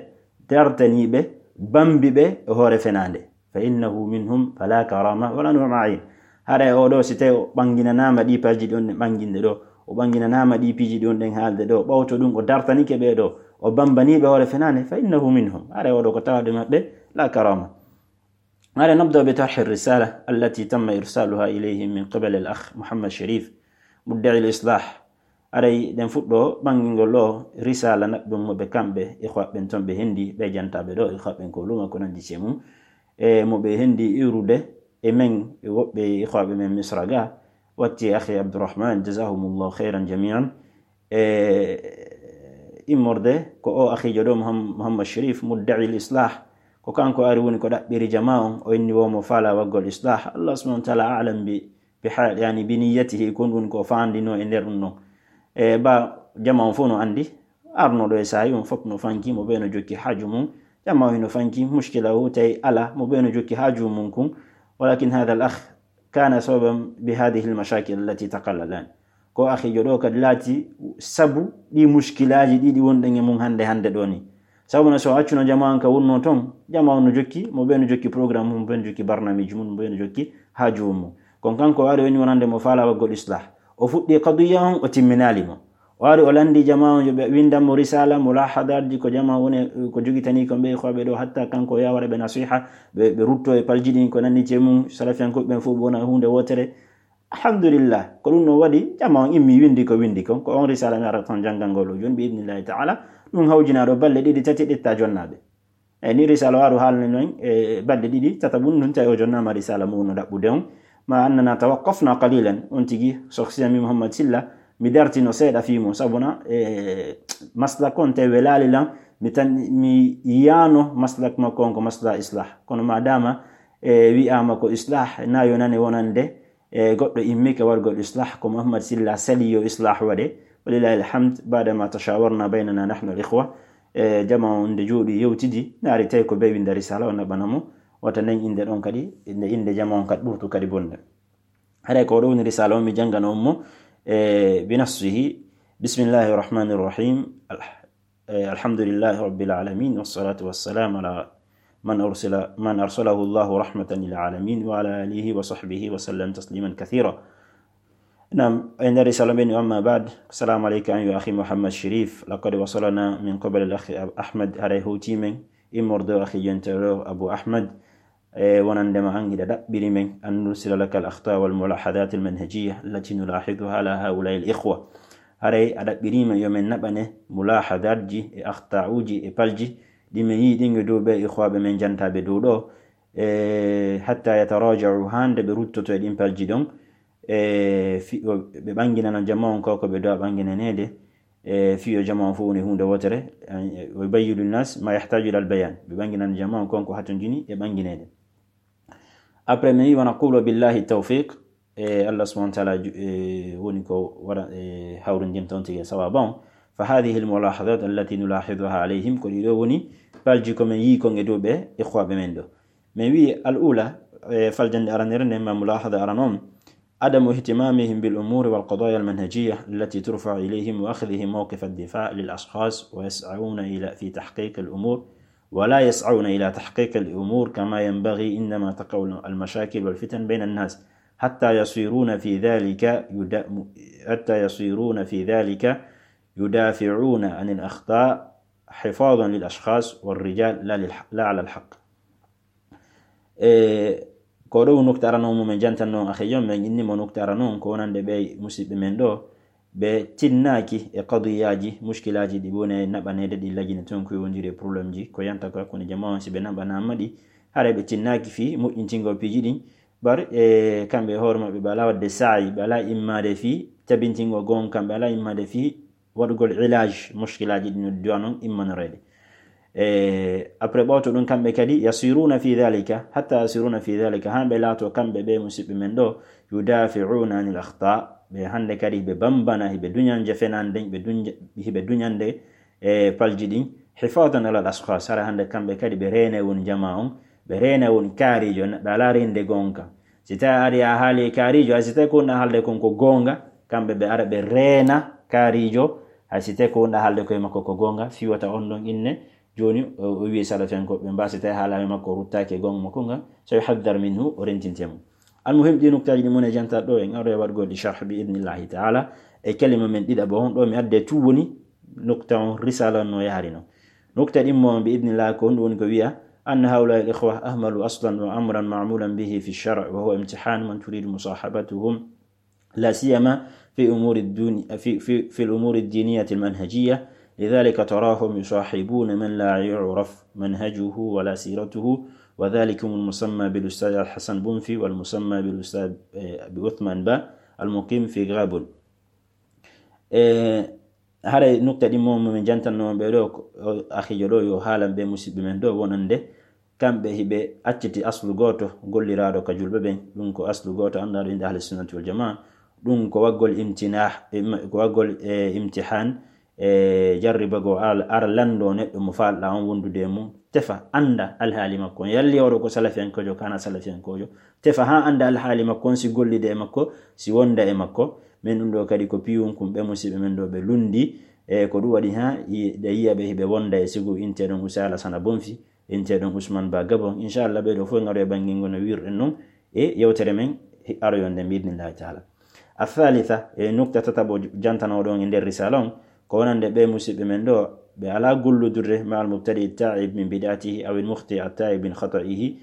dartanii ɓe, bambi ɓe e hoore fenaande. Fa innahu minhum, fala karama wala nu'ma ayn. Haray oo ɗoo, si tawii o ɓanginanaama ɗii piiji ɗi on ɗen ɓanginde ɗoo, o ɓanginanaama ɗii piiji ɗi on ɗen haalde ɗoo, ɓawto ɗum o dartanike ɓee ɗoo, o bambanii ɓe hoore fenaande, fa innahu minhum. Haray oo ɗoo ko tawaaɗo maɓɓe, la karama. Haray nabda bi tarhi risala allati tamma irsaluha ilayhim min qibali al akh Muhammad Sharif, mudda'i al islah. Haray ɗen fuɗɗoo ɓangingol ɗoo risala naɓɓe mo ɓe kamɓe ikhwa ɓen ton ɓe hendi, ɓe jantaaɓe ɗoo ikhwa ɓen ko luuma ko nandi e mum. E mo ɓe hendi iwrude e men, e woɓɓe ikhwaɓe men Misra ga, watti e akhi Abdurrahman, jazahumullahu khairan jami'an. E immorde ko o akhijo ɗoo, Muham-, Muhammad Sharif, mudda'i al islah, ko kanko ari woni ko ɗaɓɓiri jamaa on, o inni wo mo faala waggol islah. Allah subhanahu wa ta'ala a'lam bi, bi ha-, yani bi niyyatihi, ko ɗum ko faandino e nder ɗum ɗon. E ba jamaa on fof no andi, arno ɗo e saa'i on fof no fanki, mo ɓe no jokki haaju mum, jamaa on no fanki, mushkila o tawi ala, mo ɓe no jokki haaju mum kun. Walakin hadha al akh kana sababan bi hadhihi al mashakil allati taqalla al an. Ko akhijo ɗoo kadi laati sabu ɗi mushkilaaji ɗiɗi wonɗen e mum hannde, hannde ɗoo ni. Sabu no so accuno jamaa on ka wonno ton, jamaa on no jokki, mo ɓe no jokki programme mum, mo ɓe no jokki barnaamiji mum, mo ɓe no jokki haaju mum. Kon kanko o ari woni wonande mo faala waggol islah. O fuɗɗi qadiya on, o timminaali mo. O ari o landi jamaa on, yo ɓe windan mo risala, mulahadaji ko jamaa on woni, ko jogitani ko ɓe ikhwaɓe ɗoo, hatta kanko o yaha waɗa ɓe nasiha, ɓe, ɓe rutto e palji ɗin ko nandi e mum, salafiyankooɓe ɓen fof ɓe wona huunde wootere. Alhamdulillah, ko ɗum ɗon waɗi, jamaa on immi windi ko windi kon, ko on risala mi ara ton janngangol o jooni, bi idnillahi ta'ala, ɗum hawjinaa ɗo balɗe ɗiɗi, tati, ɗetta jonnaaɓe. E ni risala o aru haalni non, e balɗe ɗiɗi, tata bun ɗum tawi o jonnaama risala mo wonno ɗaɓɓude on. Ma annana tawaqqafna qalilan, on tigi, sokhsiya mi Muhammad Silla, mi dartino seeɗa fii mo, sabuna, e, maslak on tawi welaali lan, mi tan, mi yiyaano maslak makko on ko masla islah. Kono ma dama, e, wi'aama ko islah, na yonane wonande, e, goɗɗo immike wargol islah, ko Muhammad Silla sali yo islah waɗe. Walillahi alhamd, baada ma tashawarna baynana nahnu al ikhwa. E, jamaa on nde jooɗi yewtidi, naari tawi ko ɓe winda risala, o naɓana mo. Wata nden innde ɗon kadi, innde, innde jamaa on kadi ɓurtu kadi bonde. Haray ko ɗo woni risala on mi janngana on mo, e, bi nafsihi. Bismillahi rahmani rahim. Al-, e, alhamdulillahi rabbil alamin, wassalatu wassalamu ala man arsala, man arsalahu Allahu rahmatan lil alamin, wa ala alihi wa sahbihi wa sallam tasliman kathira. Naam, e nder risala men, amma ba'd, assalamu alayka ayyuha akhi Muhammad Sharif, laqad wasalana min qibali al akhi Ahmad, haray hawti men, immorde o akhi jontere o Abu Ahmad, e wonande ma an hiɗa ɗaɓɓiri men, an nursila laka al akhta wal mulahadat al manhajiyya allati nulahiduha ala haula'i al ikhwa. Haray a ɗaɓɓiri men yo men naɓane mulahadatji e akhta'uji e palji, ɗi men yi'i ɗin e dow ɓe ikhwaɓe men jantaaɓe dow ɗo, e hatta yataraja'u, hande ɓe ruttoto e ɗin palji ɗon, e fi-, o, ɓe ɓanginana jamaa on ko, ko ɓe do'a ɓanginaneede, e fiyo jamaa on fof woni huunde wootere, e, wa yubayyinu linnas ma yahtaju ila al bayan, ɓe ɓanginana jamaa on kon ko hatonjini e ɓangineede. Après, mi wi, wa naqulu billahi tawfiq, e Allah subhanahu wa ta'ala ju-, e woni ko waɗa, e hawrindinta on tigi e sawaaba on. Fa hadhihi al mulahadat allati nulahiduha alayhim, ko ɗiɗo woni palji ko men yii kon e dow ɓe ikhwaɓe men ɗo. Men wi al ula, e faljande aranere nden ma mulahada aran on, عدم اهتمامهم بالأمور والقضايا المنهجية التي ترفع إليهم وأخذهم موقف الدفاع للأشخاص ويسعون إلى، في تحقيق الأمور، ولا يسعون إلى تحقيق الأمور كما ينبغي عندما تقع المشاكل والفتن بين الناس، حتى يصيرون في ذلك يدا-، حتى يصيرون في ذلك يدافعون عن الأخطاء حفاظا للأشخاص والرجال لا للح-، لا على الحق. E, ko ɗo nukta arano mo men jantanno akhijo, men inni mo nukta arano on ko wonande ɓe musiɓɓe men ɗo, ɓe tinnaaki e qadiyaaji, mushkilaaji ɗi woni e naɓaneede, ɗi lajine ton ko yowondiri e problème ji, ko yanta ko hakkunde jamaa on, si ɓe naɓanaama ɗi, haray ɓe tinnaaki fii moƴƴintingol piiji ɗin, bar, e, kamɓe e hoore maɓɓe ɓe alaa waɗde saa'i, ɓe alaa immaade fii tabintingol goonga, kamɓe alaa immaade fii waɗugol ilaj mushkilaaji ɗin no duwa non immanoreede. E, après ɓawto ɗum kamɓe kadi yasiruna fi dhalika, hatta yasiruna fi dhalika, haa ɓe laato kamɓe ɓe musiɓɓe men ɗo, yudafi'una anil akhta, ɓe hannde kadi ɓe bambana, hiɓe duñanje fenande, ɓe duñja-, hiɓe duñande e palji ɗin, hifadan ala al ashkhas, hara hannde kamɓe kadi ɓe reene won jamaa on, ɓe reene won kaarijo, neɗɗo alaa reende goonga. Si tawi a ari a haali e kaarijo, hay si tawi ko woni haalde kon ko goonga, kamɓe ɓe ara ɓe reena kaarijo, Hay si tawi ko wonɗa haalde koye makko ko goonga, fii wata on ɗon inne jooni o, o wi'i salafiyankoɓe mba, si tawi haala e makko o ruttaaki e goonga makko nga, so yuhaddar minhu, o rentinte mo. Almuhim, ɗi nuktaaji ɗi mone jantaɗo ɗo, en aroya waɗgol ɗi sharh bi idnillahi ta'ala. E kalima men ɗiɗaɓo on ɗo mi adde tu woni nukta on risala no yahari non. Nukta ɗimmo on bi idnillahi ko honɗum woni? Ko wi'a, anna haula'i al-ikhwa ahmalu aslan wa amran ma'mulan bihi fi shar', wa huwa imtihan man turidu musahabatuhum, la siyama fi umuri duni-, fi, fi, fi al-umuri ad-diniyati al-manhajiyya. Lidhalika tarahum yusahibuna man la yu'raf manhajuhu wa la siratuhu, wa dhalikum al-musamma bil ustadh al-Hasan Bunfi wal musamma bil ustadh, eh, bi Uthman Ba al-muqim fi Gabon. E, haray nukta ɗi mo, mo min jantanno on ɓe ɗo, ko, o, akhijo ɗo, yo haalan ɓe musiɓɓe men ɗo wonande kamɓe hiɓe acciti aslu gooto golliraaɗo ka julɓe ɓen. Ɗum ko aslu gooto anndaɗo innde ahli sunnati wal jamaa. Ɗum ko waggol imtinah, im-, ko waggol, e, imtihan, e, jarribago al-, ara lanndo neɗɗo mo faalɗa on wondude e mum. Tefa, annda alhaali makko on. Yalli oɗo ko salafiyankojo, kana salafiyankojo. Tefa haa annda alhaali makko on, si gollude e makko, si wonda e makko. Men ɗum ɗo kadi ko piyun kun ɓe musiɓɓe men ɗo ɓe lundi. E ko ɗum waɗi haa yi-, ɗe yiya ɓe hiɓe wonda e sigu inteɗon Usa Alasana Bonfi, inteɗon Usman Ba Gabon. Inchallah, ɓe ɗo fof ngaroya banngingo no wirɗen non e yewtere men hi-, aroyonde bi idnillahi taala. Athalitha, e nukta tataɓo j-, jantanoɗon e nder risala on, ko wonande ɓe musiɓɓe men ɗo, ɓe alaa gollodirde ma al mubtadi taib min bid'atihi aw al mukhti at taib min khata'ihi,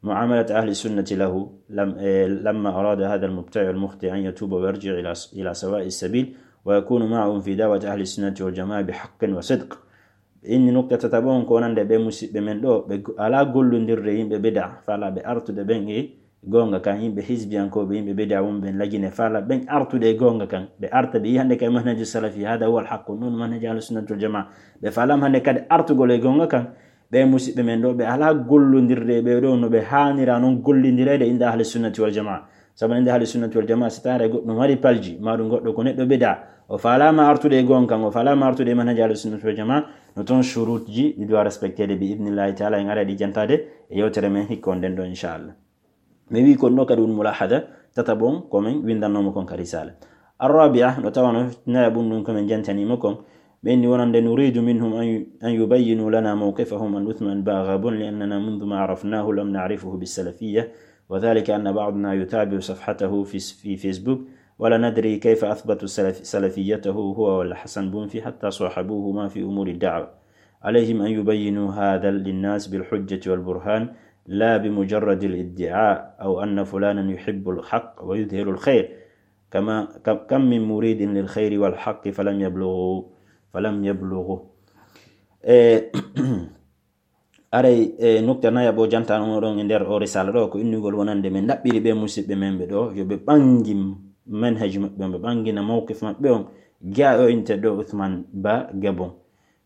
muamalat ahli sunnati lahu, lam-, eh, lamma arada hadha al mubtadi al mukhti an yatuba wa yarji ila, ila sawa'i sabil, wa yakunu ma'ahum fi da'wati ahli sunnati wal jamaa bi haqqin wa sidq. Inni nukta tataɓo on ko wonande ɓe musiɓɓe men ɗo, ɓe go-, alaa gollondirde yimɓe bida, faalaaɓe artude ɓen e goonga kan, yimɓe hizbiyankooɓe, yimɓe bida wonɓe en lagine, faalaaɓe ɓen artude e goonga kan, ɓe arta ɓe yi hannde kay manhaju salafi, hada huwa al haqq, non manhaju ahli sunnati wal jamaa. Ɓe faalaama hannde kadi artugol e goonga kan, ɓe musiɓɓe men ɗo, ɓe alaa gollondirde e ɓe ɗo no ɓe haanira non gollindireede inda ahli sunnati wal jamaa. Sabu nde ahli sunnati wal jamaa, si tawi goɗɗo mari palji, ma ɗum goɗɗo ko neɗɗo bida, o faalaama artude e goonga kan, o faalaama artude e manhaj ahli sunnati wal jamaa, no toon shurutji ɗi doit respecteede bi idnillahi taala, en ara ɗi jantaade e yewtere men hikka on nden ɗo, inchallah. Mi wi kon ɗo kadi won mulahada tataɓo on ko men windannoma kon ka risala. Arrabia, no tawano nayaɓun ɗum ko men jantanima kon, ɓe inni wonande, nuridu minhum an yu-, an yubayyinu lana mawqifahum an Uthman Ba Gabon, li annana mundu ma arafnahu lam na'rifuhu bis salafiyya. وذلك أن بعضنا يتابع صفحته في، في فيسبوك، ولا ندري كيف أثبتوا سلف-، سلفيته هو والحسن بنفي حتى صاحبوهما في أمور الدعوة. عليهم أن يبينوا هذا للناس بالحجة والبرهان، لا بمجرد الادعاء أو أن فلانا يحب الحق ويظهر الخير. كما، كم، كم من مريد للخير والحق فلم يبلغوا، فلم يبلغوا. Eh, Aray, e nukta nayaɓo jantanoɗon e nder o risala ɗo, ko innugol wonande men ɗaɓɓiri ɓe musiɓɓe men ɓe ɗo, yo ɓe ɓangi manhaji maɓɓe on, ɓe ɓangina mawqif maɓɓe on, ga o inteɗo Uthman Ba Gabon.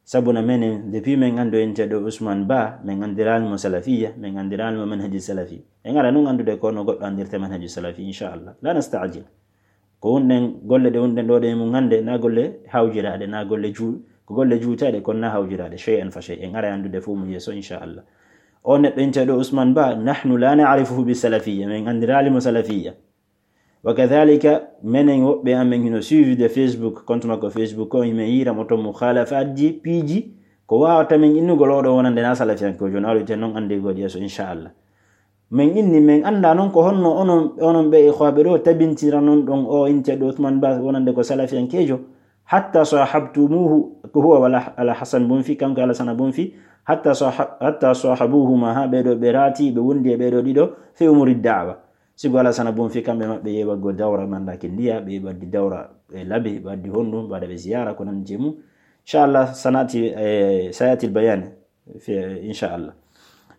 Sabu na menen, depuis men anndi o inteɗo Usman Ba, men anndiraali mo salafiyya, men anndiraali mo manhaji salafi. En ara nun anndude ko no goɗɗo anndirta manhaji salafi, inchallah. La nasta'jil. Ko wonɗen, golle ɗe wonɗen ɗo ɗe mum hannde, na golle hawjiraaɗe, na golle ju-, ko golle juutaaɗe, kono na hawjiraaɗe, shay'an fa shay'. En ara anndude fof mo yeeso, inchallah. O neɗɗo inteɗo Usman Ba, nahnu la na'rifuhu bi salafiyya, men anndiraali mo salafiyya. Wa kadhalika, menen woɓɓe amen hino suivi de Facebook, compte makko Facebook ko, hime yiira mo ton mukhalafaatji, piiji, ko waawata men innugol oɗo wonande na salafiyankojo, no aɗo ite non annde gol yeeso, inchallah. Men inni, men annda non ko honno onon, onon ɓe ikhwaɓe ɗo tabintira non ɗon o inteɗo Uthman Ba wonande ko salafiyankejo. Hatta sahabtumuhu, ko huwa wala ala Hasan Bunfi, kanko Alasana Bunfi. Hatta saha-, hatta sahabuhuma, ha ɓe ɗo ɓe raati, ɓe wondi e ɓe ɗo ɗiɗo, fi umuri da'wa. Sigo Alasana Bunfi kamɓe maɓɓe yeɓa go dawra mandaki ndiya, ɓe yeɓa di dawra e labi, ɓe waddi honɗum, ɓe waɗa ɓe ziyara, ko nandi mum. Inchallah, sanati, eh, sayatil bayani. Fi-, inchallah.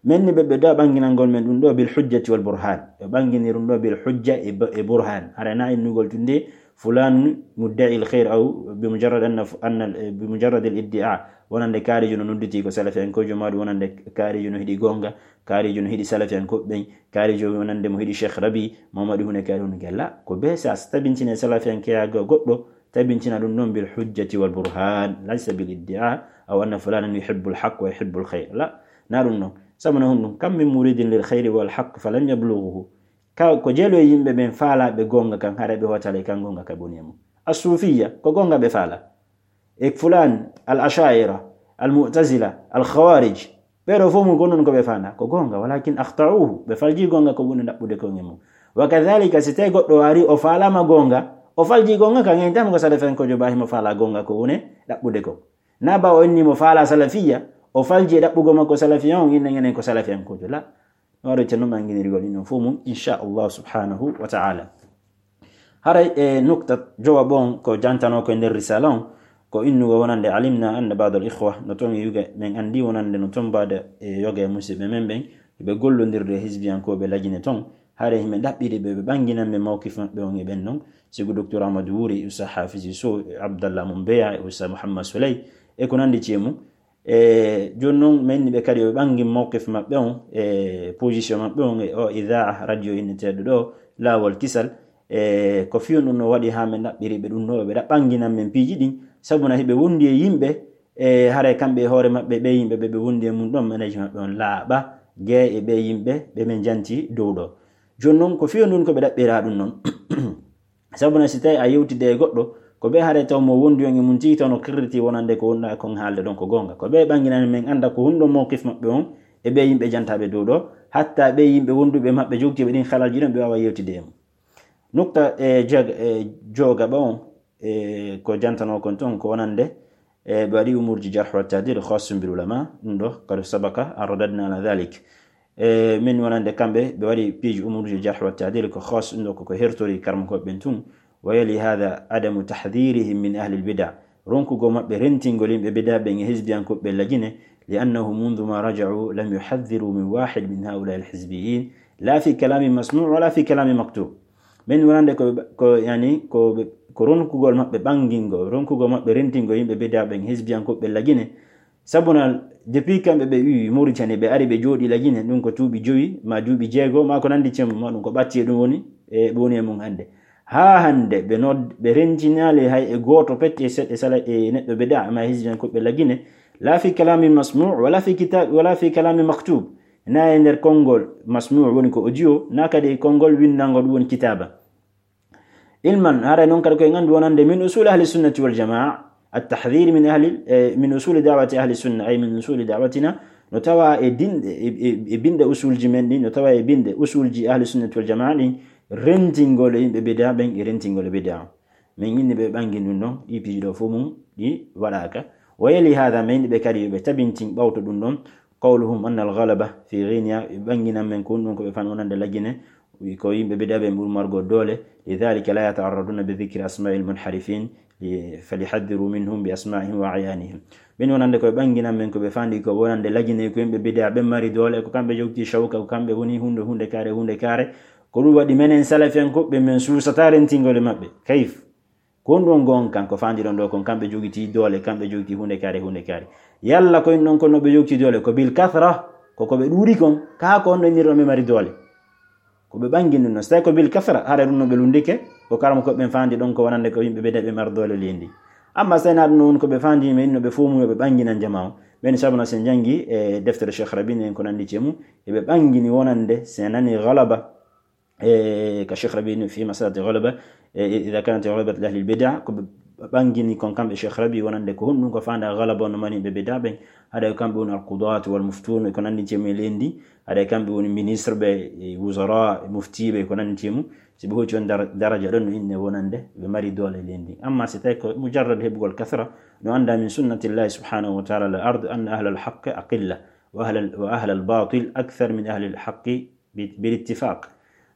Men ni ɓe, ɓe da ɓanginangol men ɗum ɗo bil hujjati wal burhan. Ɓe ɓangini ɗum ɗo bil hujja e b-, e burhan. Hara na innugol tunde fulan mudda'i al khair aw bi mujarrad anna f-, anna, eh, bi mujarrad al iddi'a. Wonande kaarijo no nodditi ko salafiyankojo, ma ɗum wonande kaarijo no hiɗi gonga, kaarijo no hiɗi salafiyankoɓe ɓen, kaarijo wonande mo hiɗi Cheikh Rabi, Mamadu Hune kaari hune gella. Ko be sa tabintine salafiyankeya go-, goɗɗo, tabintina ɗum ɗon bil hujjati wal burhan, laysa bil iddi'a, aw anna fulanan yuhibbul haqq wa yuhibbul khayr. La, na ɗum ɗon. Sabu na honɗum? Kam min muridin lil khayri wal haqq falam yablughuhu. Ka, ko jeelo e yimɓe ɓen faalaɓe gonga kan, hara ɓe hotale kan gonga ka boni e mum. As-sufiyya, ko gonga ɓe faala. e fulaan, al ashaira, al mu'tazila, al khawarij. Ɓeɗo fof mum ko non ko ɓe fanda ko gonga, walakin akhta'uhu, ɓe falji gonga ko ɓuri ɗaɓɓude ko e mum. Wa kadhalika, si tawi goɗɗo ari o falama gonga, o falji gonga ka ngen tan ko salafiyankojo ba himo fala gonga ko ɓuri ɗaɓɓude ko. Na ba o inni mo fala salafiya, o falji e ɗaɓɓugo makko salafiya on, inna ngenen ko salafiyankojo. La, no waɗo ceerno ɓanginirgol ɗin on fof mum, insha Allah subhanahu wa ta'ala. Haray e nukta jowa ɓon ko jantano ko e nder risala on, ko innugo wonande alimna anna ba'd al ikhwa, no ton e yuga men andi wonande no ton bada e yoga e musiɓɓe men ɓen, ɓe gollondirde e hizbiyankooɓe lajine ton, haray himɓe ɗaɓɓiri ɓe, ɓe ɓanginan ɓe mawqif maɓɓe on e ɓen non, sigo Docteur Amadou Wuri, Oustaz Hafiz Sow, Abdallah Mumbeya, Oustaz Mouhammad Souley, e ko nandi ci e mum. E jooni non, men ni ɓe kadi, ɓe ɓangi mawqif maɓɓe on, e position maɓɓe on, e o idaa, radio inneteeɗo ɗo, Laawol Kisal, e ko fiyon ɗum no waɗi haa men ɗaɓɓiri ɓe ɗum no, ɓe ɗa-, ɓanginan men piiji ɗin, sabu na hiɓe wondi e yimɓe, e haray kamɓe e hoore maɓɓe, ɓe yimɓe ɓe, ɓe wondi e mum ɗon, management maɓɓe on laaɓa, gee e ɓe yimɓe ɓe men janti dow ɗo. Jooni non, ko fiyon ɗum ko ɓe ɗaɓɓira ɗum non. Sabu na si tawi a yewtide e goɗɗo, ko ɓe haray taw mo wondi on e mum tigi taw no kirriti wonande ko wonɗa kon haalde ɗon ko goonga. Ko ɓe ɓanginani men annda ko honɗun mawqif maɓɓe on e ɓe yimɓe jantaaɓe dow ɗo, hatta ɓe yimɓe wonduɓe maɓɓe jogtiiɓe ɗin halalji ɗon ɓe waawa yewtide e mum. Nukta e jeeg-, e joogaɓa on, e ko jantanoo kon ton ko wonande, e ɓe waɗi umuurji jarh wa ta'dil khassun bil ulama, ɗum ɗo qad sabaqa an radadna ala dhalik. E min wonande kamɓe, ɓe waɗi piiji umuurji jarh wa ta'dil ko khas, ɗum ɗo koko hertori karmakooɓe ɓen tun. Wa yali hadha adamu tahdhirihim min ahli al bid'a, ronkugol maɓɓe rentingol yimɓe bid'a ɓen e hizbiyankooɓe ɓe lagine, li annahu mundhu ma raja'u lam yuhadhdhiru min wahid min haula'i al hizbiyyin, la fi kalamin masmu' wala fi kalamin maktub. Min wonande ko, ko, yani, ko, ko ronkugol maɓɓe ɓangingol, ronkugol maɓɓe rentingol yimɓe bid'a ɓen, hizbiyankooɓe ɓe lagine. Sabuna, depuis kamɓe ɓe iwi Mauritanie, ɓe ari ɓe jooɗi lagine, ɗum ko duuɓi jowi, ma duuɓi jeego, ma ko nandi cem, ma ɗum ko ɓatti e ɗum woni, e ɓe woni e mum hannde. Haa hannde, ɓe nod-, ɓe rentinaali hay e gooto pet e seɗɗe sala e neɗɗo bid'a, ma hizbiyankooɓe lagine, la fi kalamin masmu', wala fi kitab, wala fi kalamin maktub. Na e nder konngol masmu' woni ko audio, na kadi e konngol winndangol ɗum woni kitaaba. Ilman, haray non kadi ko en anndu wonande min usul ahli sunnati wal jamaa, at tahdhir min ahli, eh, min usuli da'wati ahli sunna, ay min usuli da'watina, no tawa e dinɗe, e, e, e binɗe usulji men ɗin, no tawa e binɗe usulji ahli sunnati wal jamaa ɗin, rentingol e yimɓe bid'a ɓen e rentingol e bid'a. Min inni ɓe ɓangi ɗum ɗon, ɗi piiji ɗo fof mum ɗi waɗaaka. Wa yali hadha, min inni ɓe kadi yo ɓe tabintin ɓawto ɗum ɗon, qawluhum anna al-ghalaba fi ghina, ɓe ɓanginan men ko ɗum ko ɓe fan wonande lagine, wi ko yimɓe bid'a ɓe ɓuri margo doole, lidhalika la yata'arraduna bi dhikri asma'il munharifin, li-, falyuhadhdhiru minhum bi asma'ihim wa a'yanihim. Min wonande ko ɓe ɓanginan men ko ɓe fandi ko wonande lagine ko yimɓe bid'a ɓe mari doole, ko kamɓe jogti shawka, ko kamɓe woni hunde, hunde kaare, hunde kaare. Ko ɗum waɗi menen salafiyankooɓe men suusata rentingol e maɓɓe. Kayf? Ko honɗun gonga kan ko fandiɗon ɗo kon, kamɓe jogiti doole, kamɓe jogiti hunde kaare, hunde kaare. Yalla ko en ɗon ko no ɓe jogiti doole, ko bil kathra, ko ko ɓe ɗuuɗi kon, kaa ko honɗun innirɗon ɓe mari doole? Ko ɓe ɓangi ɗum non. So tawi ko bil kathra, hara ɗum no ɓe lundike, ko karamokooɓe ɓen fandi ɗon ko wonande ko yimɓe ɓe de ɓe mari doole leydi. Amma so tawi na ɗum non ko ɓe fandi men no ɓe fomu yo ɓe ɓanginan jamaa on. Ɓen sabuna sen jangi e deftere Cheikh Rabi en ko nandi cemu, e ɓe ɓangini wonande sen nani galaba, e, ka Cheikh Rabi fi masalati ghalaba, e, idha kanat ghalabatu ahli al-bid'a, ko ɓe ɓangini kon kamɓe Cheikh Rabi wonande ko honɗun ko fanda ghalaba no mari ɓe bid'a ɓen, haɗa ko kamɓe woni al-qudat wal muftun, ko nandi cemu e leydi, haɗa kamɓe woni ministre ɓe, e, wuzara, e mufti ɓe, ko nandi cemu, si ɓe hoti on dar-, daraja ɗon no inne wonande ɓe mari doole leydi. Amma si tawi ko mujarrad heɓugol kathra, no anda min sunnatillahi subhanahu wa ta'ala al-ard anna ahla al-haqqi aqilla, wa ahla, wa ahla al-batil akthar min ahli al-haqqi bi-, bil ittifaq.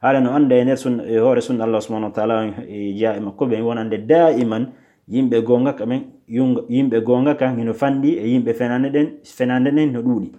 Haala no annda e nder sunna, e hoore sunna Allah subhanahu wa ta'ala, e jeyaa e makko ɓen wonande daiman yimɓe goonga ka men, yunga-, yimɓe goonga kan hino fanɗi e yimɓe fenande ɗen, fenande ɗen no ɗuuɗi.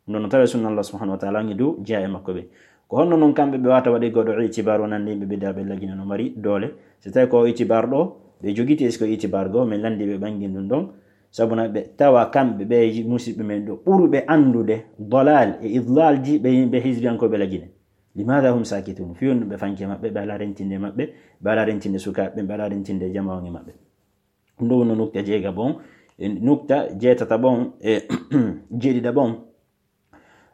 Ɗum no tawa e sunna Allah subhanahu wa ta'ala ngi dow jeyaa e makko ɓen. Ko honno non kamɓe ɓe wata waɗi goɗɗo itibar wonande yimɓe bid'a ɓe lagine no mari doole? Si tawi ko itibar ɗo ɓe jogiti, est-ce que itibar goo men landi ɓe ɓangin ɗum ɗon? Sabuna ɓe tawa kamɓe ɓe musiɓɓe men ɗo ɓuruɓe anndude dalal e idlalji ɓe yimɓe hizbiyankooɓe lagine. Limadha hum sakitun? Fii honɗun ɓe fanke maɓɓe, ɓe alaa rentinde maɓɓe, ɓe alaa rentinde sukaaɓe, ɓe alaa rentinde jamaa on e maɓɓe. Ɗum ɗo wonno nukta jeegaɓo on, e nukta jeetataɓo on, e jeeɗiɗaɓo on.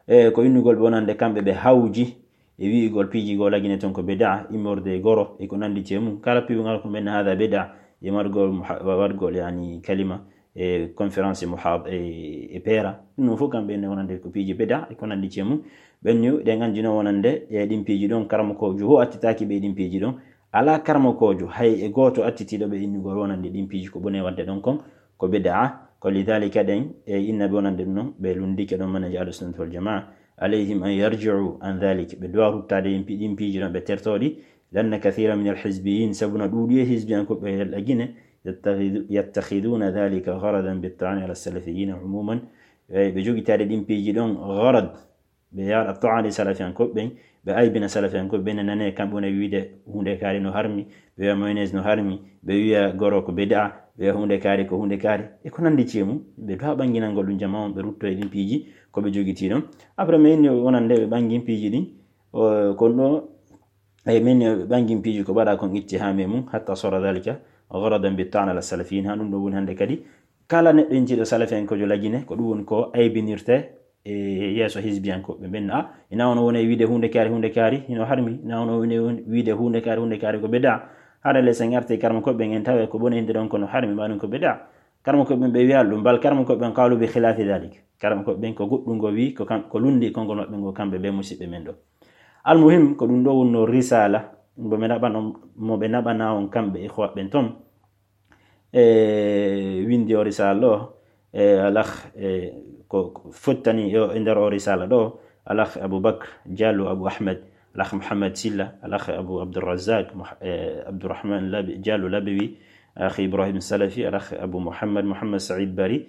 E ko innugol ɓe wonande kamɓe ɓe hawji e wi'ugol piiji goo lagine ton ko bid'a, immorde e goro, e ko nandi e mum. Kala piiwungal ko men hada bid'a, e margol muha-, wargol, yani, kalima, e conférence, e muhad e e peera. Ɗum fof kamɓe ne wonande ko piiji bida e ko nandi cee mum. Ɓen ni ɗen anndi noon wonande e ɗin piiji ɗon karamokoojo ho attitaaki ɓe ɗin piiji ɗon. Alaa karamokoojo hay e gooto attitiiɗo ɓe innugol wonande ɗin piiji ko bone wadde ɗon kon ko bida. Ko lidalika ɗen e inna ɓe wonande ɗum noon ɓe lunndike ɗon manhaji ahlu sunnati wal jamaa. Alayhim an yarji'u an dhalik, ɓe duwa ruttaade ɗin pi- ɗin piiji ɗon ɓe tertooɗi. Lanna kathira min alhizbiyin, sabuna ɗuuɗi e hizbiyankoɓe yalɗa gine, yattakhidhu- yattakhiduna dhalika gharadan bitta'ani ala salafiyina umuman. E ɓe jogitaade ɗin piiji ɗon gharad, ɓe yaara ta'ani salafiyankoɓe ɓen, ɓe aybina salafiyankoɓe ɓen, ne nane kamɓe wona wiide huunde kaari no harmi, ɓe wiya mayonnaise no harmi, ɓe wiya goro ko bida, ɓe wiya huunde kaari ko huunde kaari e ko nandi cee mum. Ɓe duwa ɓanginangol ɗum jama on, ɓe rutto e ɗin piiji ko ɓe jogitii ɗon. Après mais inni wonande ɓe ɓangin piiji ɗin, o- kon ɗo e min ɓe ɓangin piiji ko ɓaɗa kon itti ha me mum, hatta sora dhalika gharadan bitta'ani ala salafiyin. Ha ɗum ɗo woni hannde kadi kala neɗɗo intiiɗo salafiyankojo lagine ko ɗum woni ko aybinirte e yeeso hizbiyankoɓe ɓen. A ina ono woni wiide huunde kaari huunde kaari hino harmi, ina ono woni wiide huunde kaari huunde kaari ko bida. Hara le sen arte karma koɓe ɓen en tawe ko bone hinde ɗon kono harmi ma ɗum ko bida. Karma koɓe ɓen ɓe wiya ɗum bal karma koɓe ɓen qaalu bi khilafi dhalik. Karma koɓe ɓen ko goɗɗum ngo wi ko kam ko lundi konngol maɓɓe ngo kamɓe ɓe musiɓɓe men ɗo. Almuhim ko ɗum ɗo wonno risala mo ɓe naɓano mo ɓe naɓana on kamɓe ikhwa ɓen ton. E windi o risala ɗo e alakh e ko fottani e nder o risala ɗo alakh Abubakr Diallo, Abu Ahmed, alakh Mohamed Silla, alakh Abu Abdourazak, Abdourahman Diallo Labewi, alakh Ibrahim Salafi, alakh Abu Mohamed, Mohamed Said Bari.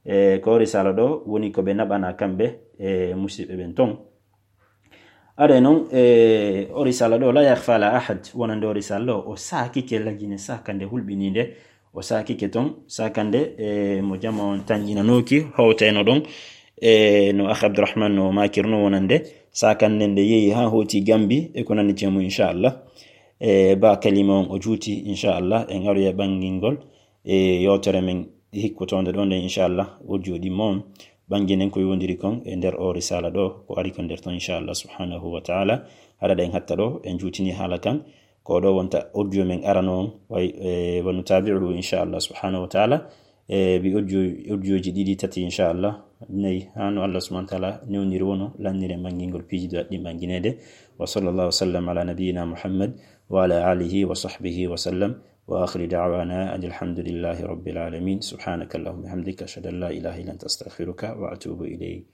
E ko o risala ɗo woni ko ɓe naɓana kamɓe e musiɓɓe ɓen ton. Are noon e o risala ɗo la yakhfa ala ahad, wonande o risala ɗo o sakike lagine sakande hulɓininde. O sakike ton sakande e mo jama on tanƴinanoki howtayno ɗon e no akh Abdourahman no makirno wonande sakande nde yeehi ha hoti Gambi e ko nandi cee mum inchallah. E ba kalima on o juuti inchallah en aroya ɓangingol e yewtere men hikkotonde ɗo nde inchallah o jooɗi mo on ɓanginen ko yowndiri kon e nder o risala ɗo ko ari ko nder ton inchallah subhanahu wa taala. Haɗa ɗen hatta ɗo en juutini haala kan ko ɗo wonta audio men arano on way e wanu tabi'u inchallah subhanahu wa taala. E bi audio audioji ɗiɗi tati inchallah nayi hano Allah subhanahu wa taala newniri wono lannire ɓangingol piiji ɗo ɗin ɓanginede. Wa sallallahu wa sallam ala nabiyina Muhammad wa ala alihi wa sahbihi wa sallam. Wa akhiru da'wana anil hamdulillahi rabbil alamin. Subhanaka allahumma bihamdika ashhadu an la ilaha illa anta astaghfiruka wa atubu ilayk.